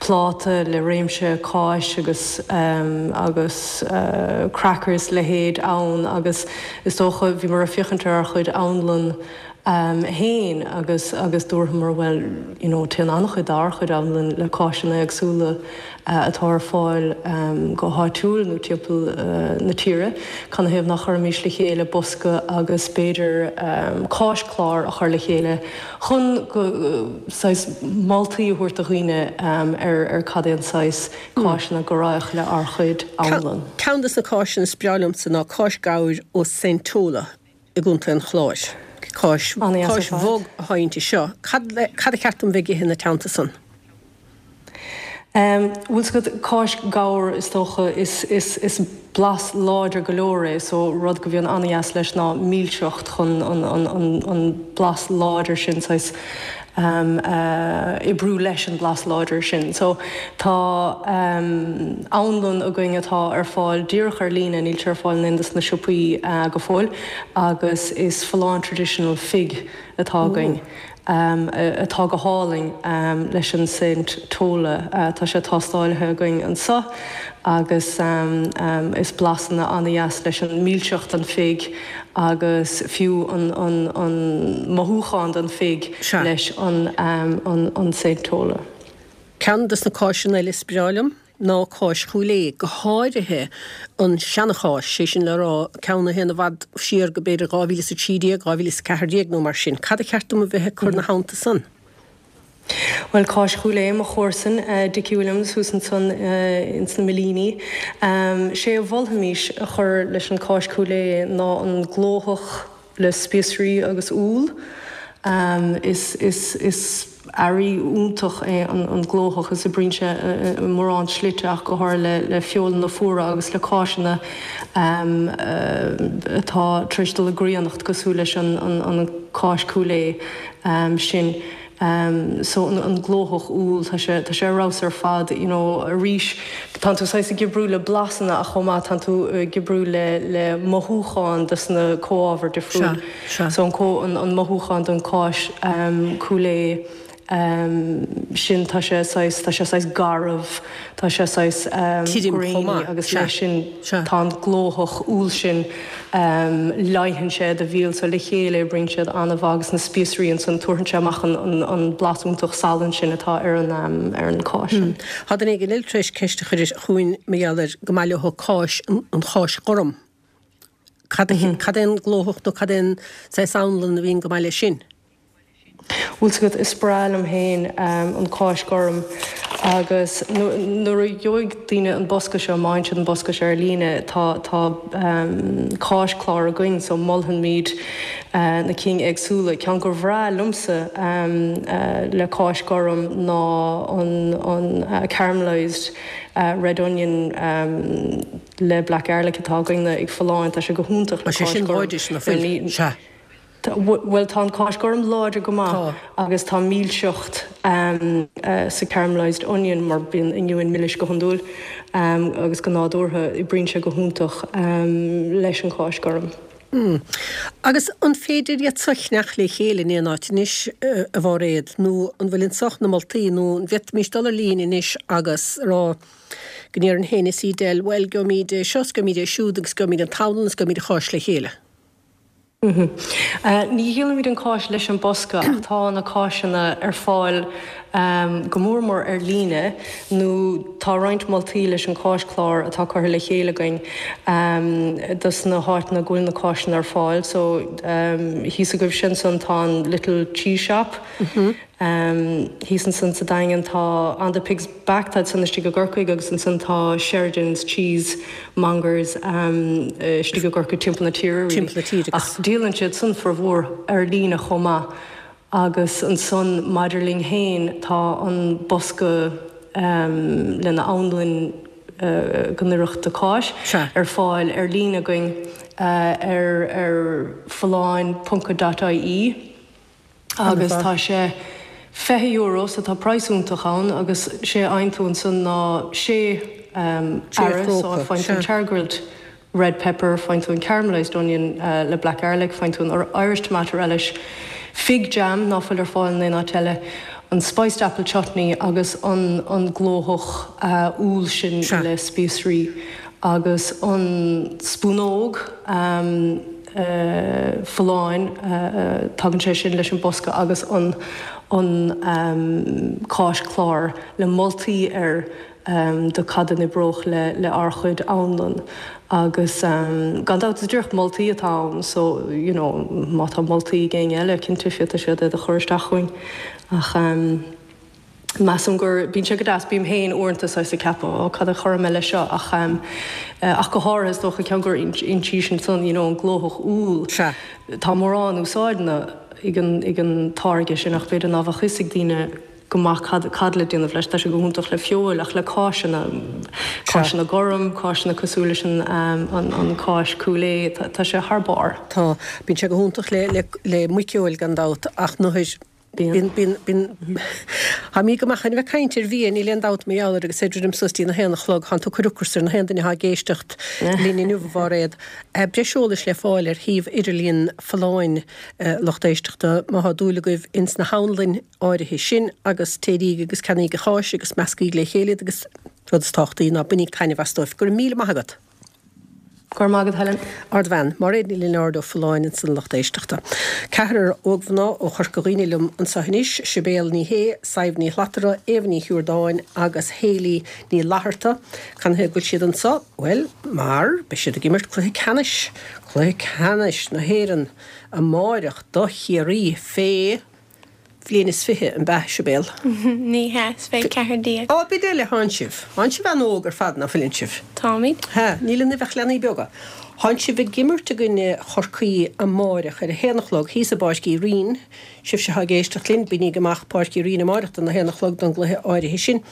pláta le réimse cáis agus agus crackers a leithéid ann agus is dócha bhíomar ag féachaint ar ár chuid anlann féin agus agus dúramar bhuel you know téann an-chuid dár chuid anlann le cáiseanna éagsúla atá ar fáil go háitiúil nó timpeall na tíre, canathaobh nach gcuirfimis le chéile bosca agus b'fhéidir cáischlár a chur le chéile chun go saghas moltaí a thabhairt do dhaoine ar ar cad é an saghas cáiseanna go raghadh le ár chuid anlann. Ceann de na cáiseanna is breá liomsa ná cáis gabhair ó Saint Tola i gContae an Chláir. Cáis An-dheas ar fad. bhog atá inti seo. Cad cad a cheart dom bheith ag ithe ina teannta san? Bhfuil 's agat, cáis gabhair is dócha, is, is, is blas láidir go leor é so rud go bhíonn an-dheas leis ná milseacht chun an, an, an, an blas láidir sin saghas oibriú leis an blas láidir sin. So tá anlann againn atá ar fáil díreach ar líne, níl sé ar fáil in aon dos na siopaí go fóill agus is Folláin Traditional Fig atá againn. atá go hálainn leis an Saint Tola. Tá sé tástáilithe againn anseo agus is blasanna an-dheas leis an milseacht den fig agus fiú an mothúchán den fig leis an Saint Tola. Ceann dos na cáiseanna eile is breá liom ná cáis Chúil Aodha, go háirithe an seana-cháis, sé sin le rá, ceann a théann i bhfad siar go b'fhéidir 2013, 2014 nó mar sin. Cad a cheart dom a bheith ag cur 'na theannta san? Bhuel, cáis Chúil Aodha, mo chomharsan, Dickie Williams, thuas ansan ins na Millíní. Sé a mholfaimis a chur leis an cáis Chúil Aodha ná an glóthach le spíosraí agus úll. Is, is, is earraí iontach é an glóthach is oibríonn sé i mórán slite ach go háirithe le feolanna fuara agus le cáiseanna atá tar éis dul i gcríonnacht cosúil leis an cáis Chúil Aodha sin. So an glóthach úll, tá sé, tá sé ar fheabhas ar fad, you know, arís tánn tú saghas ag oibriú le blasanna ach chomh maith tánn tú ag oibriú le, le mothúcháin dos na comhábhair difriúil. Sea, sea. So an có, an, an mothúchán don cáis Cúil Aodha sin tá sé saghas, tá sé saghas garbh, tá sé saghas Tirim chomh grainy maith, agus sea, leis sin sea. tá an glóthach úll sin. Leigheann sé do mhíol so le chéile oibríonn siad an-mhaith agus na spíosraí ansan tabharfaidh sé amach an blas iontach salainn sin atá ar an ar an cáis sin. Tá duine éigin eile tar éis ceist a chur chugainn mar gheall ar go maith leo cáis an cháis ghorm. Cad cad é an glóthach nó cad é an saghas anlann a bhíonn go maith leis sin? Bhfuil 's agat, is breá liom féin an cáis gorm agus nuair a gheobhaidh daoine an bosca seo, má fhaigheann siad an bosca seo ar líne, tá tá cáis-chlár againn so molfaimid na cinn éagsúla. Ceann gur bhreá liomsa le cáis gorm ná an an caramelised red onion le black garlic atá againne ag Folláin, tá sé go hiontach le Tá sé cáis sin gorm. láidir ná fuil? Sea. Bhuel, tá an cáis gorm láidir go maith Tá. agus tá milseacht sa caramelised onion mar bíonn oinniúin milis go hiondúil agus go nádúrtha, oibríonn sé go hiontach leis an cháis gorm. Agus an féidir iad seo a cheannach le chéile in aon áit anois, a Mháiréad, nó an bhfuil anso na moltaí, nó an bhféadfaimis dul ar líne anois agus rá go ndéarfainn féin is Edel, bhuel, gheobhaimid é seo is gheobhaimid é siúd agus gheobhaimid an t-anlann is gheobhaimid an cháis le chéile? Ní dhíolaimid an cáis leis an bosca ach tá na cáiseanna ar fáil go mór mór ar líne nó tá roinnt moltaí leis an cáischlár atá curtha le chéile againn dos na háiteanna go bhfuil na cáiseanna ar fáil. So thíos agaibhse ansan tá an Little Cheese Shop. Thíos ansan sa Daingean tá On The Pig's Back, táid san istigh i gCorcaigh agus ansan tá Sheridan's Cheese Mongers istigh i gCorcaigh timpeall na tíre really. Timpeall na tíre agus. Ach díolann siad san formhór ar líne chomh maith agus ansan maidir linn fhéin tá an bosca lena anlainn go n-oirfeadh do cáis ar fáil ar líne againn ar ar folláin ponc co dot ie. agus tá sé €20 so tá praghas iontach ann agus sé a fhaigheann tú ansan ná sé earra so faigheann tú an chargrilled red pepper, faigheann tú an caramelised onion le black garlic, faigheann tú an Irish tomato relish, fig jam ná fuil ar fáil in aon áit eile, an spiced apple chutney agus an an glóthach úll sin le spíosraí agus an spúnóg. Folláin, tagann sé sin leis an bosca agus an an cáischlár le moltaí air do cad a n-oibreodh le le ár chuid anlann agus gan dabht is díreach moltaí atá ann so you know má tá moltaí ag éinne eile cinnte féadfaidh siad iad a chur isteach chugainn ach. Measaim gur, bíonn sé go deas, bím féin uaireanta saghas ag ceapadh, ó cad a chuirfidh mé leis seo ach ach go háirithe is dócha ceann gur insís ansan you know an glóthach úll. Sea. Tá mórán úsáideanna ag an ag an táirge sin ach b'fhéidir ná bheadh fhios ag daoine go maith cad cad le déanamh leis. Tá sé go hiontach le feoil ach le cáiseanna, cáiseanna gorm, cáiseanna cosúil leis an an an cáis Cúil Aodha, tá tá sé thar barr. Tá. Bíonn sé go hiontach le le le muiceoil gan dabht ach nuair Bíonn. Bíonn, bíonn, Táimid go maith chun a bheith ag caint ar bhia, níl aon dabht mar gheall air agus é ag druidim suas dtí na haon a chlog. Tánn tú ag cur ocras ar na haon duine atá ag éisteacht linn inniu, a Mháiréad. Breis eolais le fáil ar shuíomh idirlíon Folláin, lucht éisteachta, má thá dúil agaibh ins na hanlainn áirithe sin agus téiríg agus ceannaíg an cháis agus meascaíg le chéile iad agus rud is tábhachtaí ná bainíg taitneamh astu. Go raibh míle maith agat. Go raibh maith agat, Helen. Ardbhean, Máiréad Ní Lionáird ó Folláin ansan lucht éisteachta. Ceathrar ógmhná ó Chorca Dhuibhne liom anseo anois, Sibéal Ní Shé, Sadhbh Ní Shlatara, Éabha Ní Shiúrdáin agus Hayley Ní Fhlatharta. Canathaobh go bhfuil siad anseo? Bhuel, mar beidh siad ag imirt cluiche ceannais, cluiche ceannais na hÉireann amáireach do Chiarraí fé. bhliain is 20, an b'ea, Sibéal? Ní hea, is 14. Á, b'id eile thánn sibh. Thánn sibh an-óg ar fad, ná fuileann sibh? Táimid. Hea, níl ionaibh ach leanaí beaga. Thánn sibh ag imirt i gcoinne Chorcaí amáireach ar a haon a chlog thíos i bPáirc Uí Rinn. Sibhse atá ag éisteacht linn, bígí amach Páirc Uí Rinn amáireach don a haon a chlog don gcluiche áirithe sin.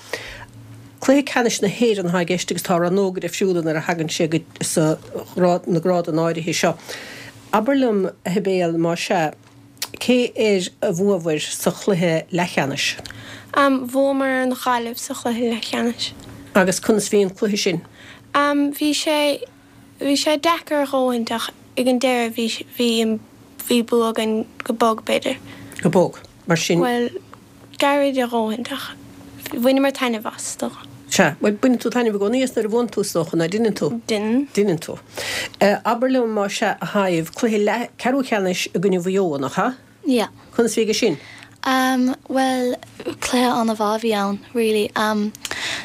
Cluiche ceannais na hÉireann atá i gceist agus tá rannóga difriúla nuair a thagann sé go sa na grádanna áirithe seo. Abair liom, a Shibéal, más ea, Cé air a bhuabhair sa chluiche leathcheannais? Bhuamar ar an Ghaillimh sa chluiche leathcheannais. Agus conas bhí an cluiche sin? Bhí sé, bhí sé deacair a dhóthaint ach ag an deireadh bhí, bhí, bhí bua againn go bog b'fhéidir. Go bog, mar sin? Bhuel, gairid a dhóthaint ach bhaineamar taitneamh as, is dócha. Sea, bhuel, baineann tú taitneamh i gcónaí as nuair a bhuann tú, is dócha, ná deineann tú? Deineann. Deineann tú. Abair liom, más ea, a Shadhbh, cluiche leath, ceathrú cheannais i gcoinne Mhaigh Eo, nach ea? Yeah. Conas bhí aige sin? Um, bhuel, cluiche an-mhaith a bhí ann, really. Um,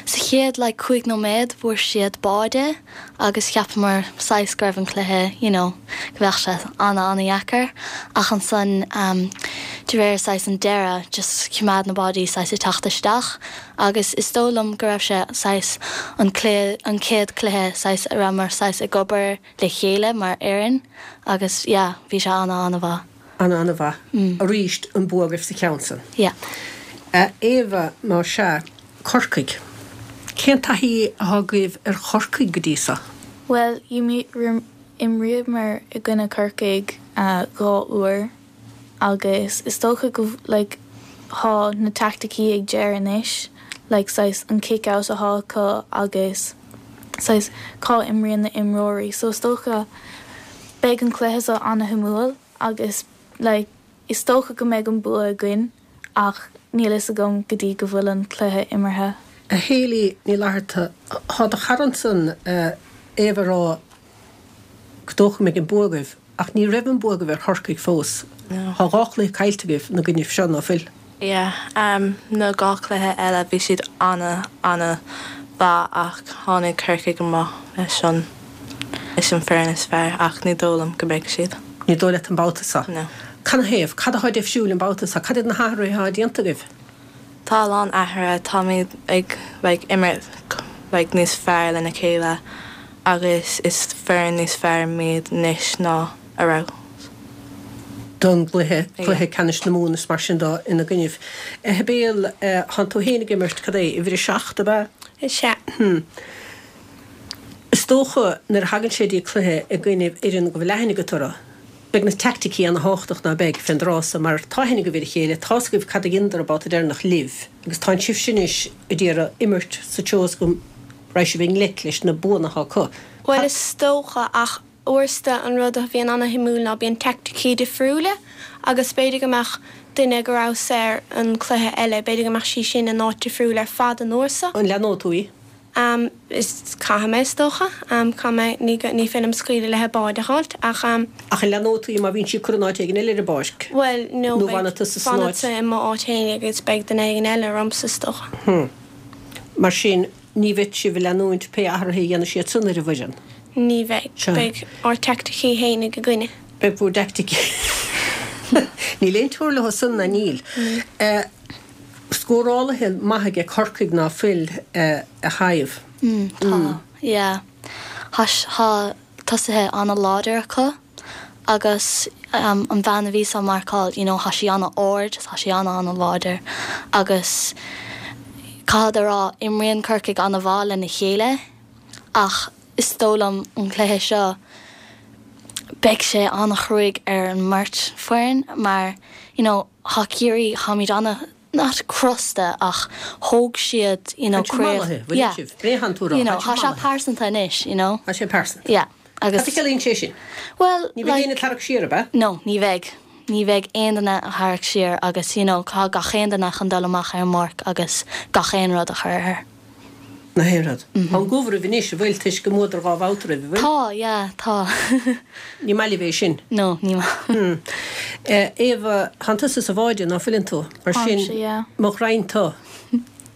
sa chéad, like, 5 nóiméad, fuair siad báide agus cheapamar saghas go raibh an cluiche, you know, go bheadh sé ana-ana-dheacair ach ansan de réir saghas an deireadh just choimeád na báidí saghas ag teacht isteach agus is dóigh liom go raibh sé saghas an cluiche an chéad cluiche saghas a rabhamar saghas ag obair le chéile mar fhoireann agus yeah bhí sé ana-ana-mhaith. Ana-ana-mhaith. Arís an bua agaibh sa cheann san. Yeah. A Éabha, más ea, Corcaigh. Cén taithí atá agaibh ar Chorcaigh go dtí so? Bhuel, Imríomar i gcoinne Corcaigh 2 uair agus is dócha go like thá na teaicticí ag Ger anois like saghas an kick out athá acu agus saghas cá imríonn na imreoirí so is dócha beidh an cluiche seo ana-shuimiúil agus like is dócha go mbeidh an bua againn ach níl fhios agam go dtí go bhfuil an cluiche imeartha. A Hayley Ní Fhlatharta, thá do chara ansan, Éabha ag rá gur dócha go mbeidh an bua agaibh, ach ní raibh an bua agaibh ar Chorcaigh fós. Thá 2 chluiche caillte agaibh 'na gcoinnibh seo, ná fuil? Yeah, na 2 cluiche eile bhí siad ana, ana mhaith ach tháinig Corcaigh amach leis an, leis an foireann is fearr ach ní dóigh liom go mbeidh siad. Ní dóigh leat an babhta seo? No. Canathaobh? Cad athá deifriúil an babhta seo? Cad iad na hathruithe athá déanta agaibh? Tá a lán athruithe, táimid ag like imirt like níos fearr lena chéile agus is foireann níos fearr muid anois ná a raibh. don gcluiche, cluiche ceannais na Mumhan is mar sin de ina gcoinnibh. A Shibéal, thánn tú féin ag imirt, cad é, uimhir a 7, ab ea? Is ea. Hm. Is dócha, nuair a thagann sé dtí cluiche i gcoinnibh fhoireann go bhfuil aithne agat orthu, Beidh na teaicticí ana-thábhachtach, ná beidh, fén dtráth so, mar tá aithne agaibh ar a chéile, tá's agaibh cad a dheineadar an babhta deireanach libh, agus tánn sibhse anois a d'iarraidh imirt sa treo is go raghaidh sibh i ngleic leis na buanna atá acu. Bhuel, is dócha, ach uaireanta an rud a bhíonn ana-shuimiúil ná bíonn teaicticí difriúla agus b'fhéidir go mbeadh duine go rabhas air an cluiche eile, b'fhéidir go mbeadh sí sin in áit difriúil ar fad an uair so. An leanóidh tú í? Am, is caithfidh mé, is dócha. Am, caithfidh mé, ní, ní féidir liom scaoileadh léi báide a fháilt, ach am. Ach an leanóidh tú í má bhíonn sí curtha in áit éigin eile ar an bpáirc? Bhuel, no, Nó beidh, fanfaidh tusa san áit? fanfadsa i mo áit fhéin agus beidh duine éigin eile ormsa, is dócha. Hm. Mar sin, ní bheidh sibh ag leanúint pé athruithe a dhéanfaidh siad san ar an bhfoireann? Ní bheidh. Sea. Beidh ár dteaicticí fhéinig againne. Beidh bhur dteaicticí. Níl aon teora leo san, ná níl. Níl. Eh. Scórálaithe maithe aige Corcaigh ná fuil, a Shadhbh? Mm, tá, yeah. Tá, tá tosaithe ana-láidir acu agus an bhean a bhíos á marcáil, you know, tá sí ana-ard, tá sí ana-ana-láidir agus caithfead a rá, imríonn Corcaigh ana-mhaith lena chéile ach is dóigh liom an cluiche seo beidh sé ana-chruaidh ar an mbeirt foireann mar, you know, Thá Ciarraí, tháimid ana, not crosta ach thóg siad, you know, Tá siad mallaithe, bhfuil yeah, sibh? B'é thánn tú a rá, you know, tá thá siad sé mallaithe. pearsanta anois, you know. Tá sé pearsanta. Yeah, agus. Cad a chiallaíonn sé sin? Bhuel, Ní bheidh like. éinne ag tarrac siar, ab ea? No, ní bheidh. Ní bheidh aon duine a tharrac siar agus, you know, tá gach aon duine chun dul amach ar an bpáirc agus gach aon rud a chur air. Gach aon rud. Tá an gcumha oraibh anois, an bhfuil, toisc go mbuadar 2 bhabhta roimh, an bhfuil? Tá, yeah, tá. Ní maith libh é sin? No, ní maith. Hmm. Éabha, thánn tusa sa bháide, ná fuileann tú? Mar sin, Táimse, yeah. mo ghraidhin tu,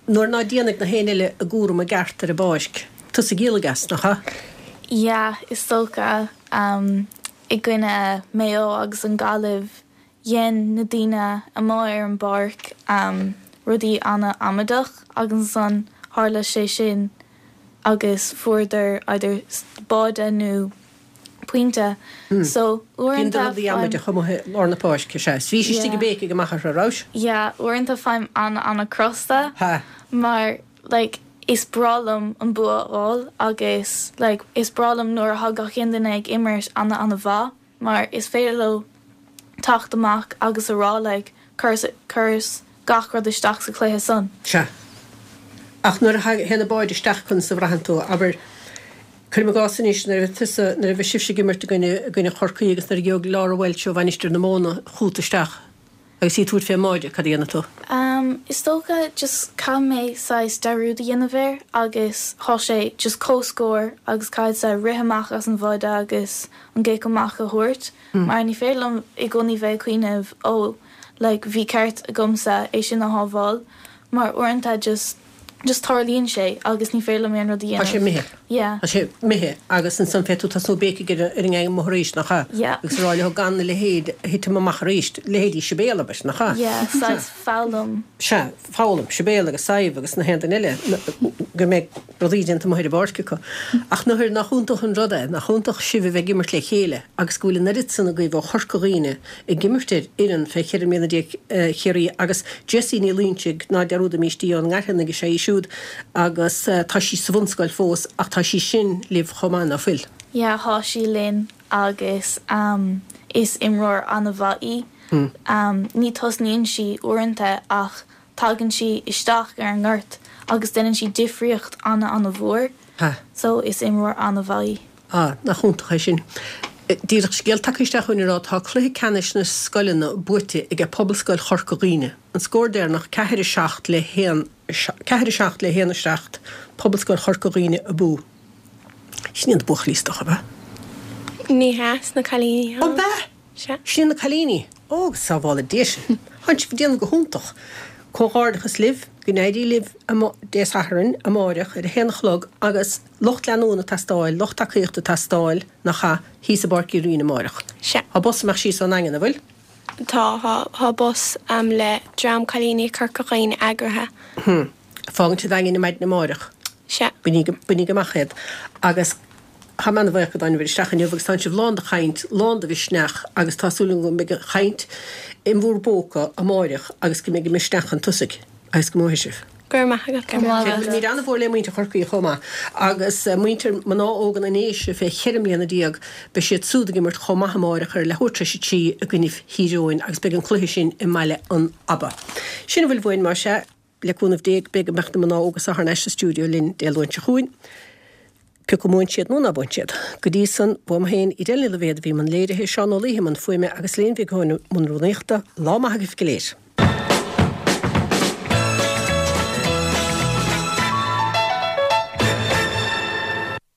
nuair ná déanfaidh na héinne eile a gcúram i gceart ar an bpáirc, tusa a dhíolfaidh as, nach ea? Yeah, is dócha. I gcoinne Maigh Eo agus an Gaillimh. dhein na daoine amuigh ar an bpáirc rudaí ana-amaideach agus ansan tharla sé sin agus fuaireadar either báide nó pointe. So uaireanta Dheineadar rudaí amaideach amuigh i lár na páirce, sea. Is bhís istigh ag béicigh amach orthu, rabhais? Yeah, uaireanta faighim ana-ana-crosta mar like is breá liom an bua a fháil agus like is breá liom nuair atá gach aon duine ag imirt ana-ana-mhaith. mar is féidir leo teacht amach agus a rá like chuireas gach rud isteach sa chluiche san. Sea. Ach nuair a théann an báide isteach conas a bhraitheann tú? Abair, cuirim i gcás anois, nuair a bhí tusa, nuair a bhí sibhse ag imirt i gcoinne, i gcoinne Chorcaí agus nuair a gheobhadh Laura Walsh ó Mhainistir na Móna chugat isteach agus í ag tabhairt fén mbáide, cad a dhéanfaidh tú? Umm, is dócha just caithfidh mé saghas dearúd a dhéanamh air agus thá sé just comhscór agus caithfidh mé rith amach as an bháide agus an cic amach a thabhairt mar ní féidir liom i gcónaí bheith ag cuimhneamh oh like bhí ceart agamsa é sin a shábháil mar uaireanta just just tarlaíonn sé agus ní féidir liom aon rud a dhéanamh. Tá sé imithe. Yeah. Tá sé imithe agus ansan féadfaidh tú tosnú ag béicigh ar an ngang amuigh arís, nach ea? Yeah. Agus a rá leo gan a leithéid a thitim amach arís, leithéidí Sibéal, abair, nach ea? Yeah, saghas foghlaim. Sea, foghlaim. Sibéal agus Sadhbh agus na haon duine eile go mbeidh rudaí déanta amuigh ar an bpáirc acu. Ach nuair nach iontach an rud é, nach iontach sibh a bheith ag imirt le chéile agus go bhfuil an oiread san agaibh ó Chorca Dhuibhne ag imirt ar fhoireann fé cheithre mbliana déag Chiarraí agus Jessie Ní Loinsigh, ná dearúdaimíst í, ón nGairfeanaigh is ea í siúd agus tá sí sa bhunscoil fós ach tá sí sin libh chomh maith, ná fuil? Yeah, thá sí linn agus is imreoir an-mhaith í. Ní tosnaíonn sí uaireanta ach tagann sí isteach ar an ngort agus déanann sí difríocht an-an-mhór. So is imreoir an-mhaith í. Ah, nach iontach é sin. Díreach scéal tagtha isteach chugainn ag rá tá cluiche ceannais na scoileanna buaite aige Pobalscoil Chorca Dhuibhne. An scór deireanach, 4, 7 le 1, 4, 7 le 1, 7, Pobalscoil Chorca Dhuibhne abú. Sin iad na buachaillí is dócha, ab ea? Ní hea, is na cailíní. Ab ea? Sea. Sin iad na cailíní. Ó, go sábhála Dia sinn. Tánn sibh ag déanamh go hiontach. Comhghairdeachas libh, go n-éirí libh Dé Sathairn, amáireach, ar a haon a chlog agus lucht leanúna ag teastáil, lucht tacaíochta ag teastáil, nach ea, thíos i bPáirc Uí Rinn amáireach. Sea. Tá bus ag imeacht síos ón nDaingean, an bhfuil? Tá, tá, tá bus le dream cailíní Corca Dhuibhne eagraithe. Hm. Fágaint an Daingin ar maidin amáireach. Sea. Bainíg amach iad. Agus tá mé ana-bhuíoch go dtáinibh isteach inniu agus tánn sibh lán de chaint, lán de mhisneach agus tá súil agam go mbeidh an chaint in bhur bpóca amáireach agus go mbeidh an misneach chun tosaigh agus go mbuafaidh sibh. Go raibh maith agat. Go raibh maith agat. Míle ana-mhór le muintir Chorcaí chomh maith agus muintir mná óga na nDéise fé cheithre mbliana beidh siad súd ag imirt chomh maith amáireach ar leathuair tar éis a trí i gcoinnibh Thír Eoghain agus beidh an cluiche sin i mBaile an Aba. Sin a bhfuil uainn más ea. Le cúnamh Dé beidh go mbeadh na mná óga seo thar n-ais sa stiúideo linn Dé Luain seo chugainn, pé acu a mbuann siad nó ná buann siad. Go dtí san, uaim féin, Edel Ní Loibhéad a bhí i mbun léirithe, Seán Ó Laoithe i mbun fuaime agus Elaine Mhic Eoin i mbun rúnaíochta, lá maith agaibh go léir.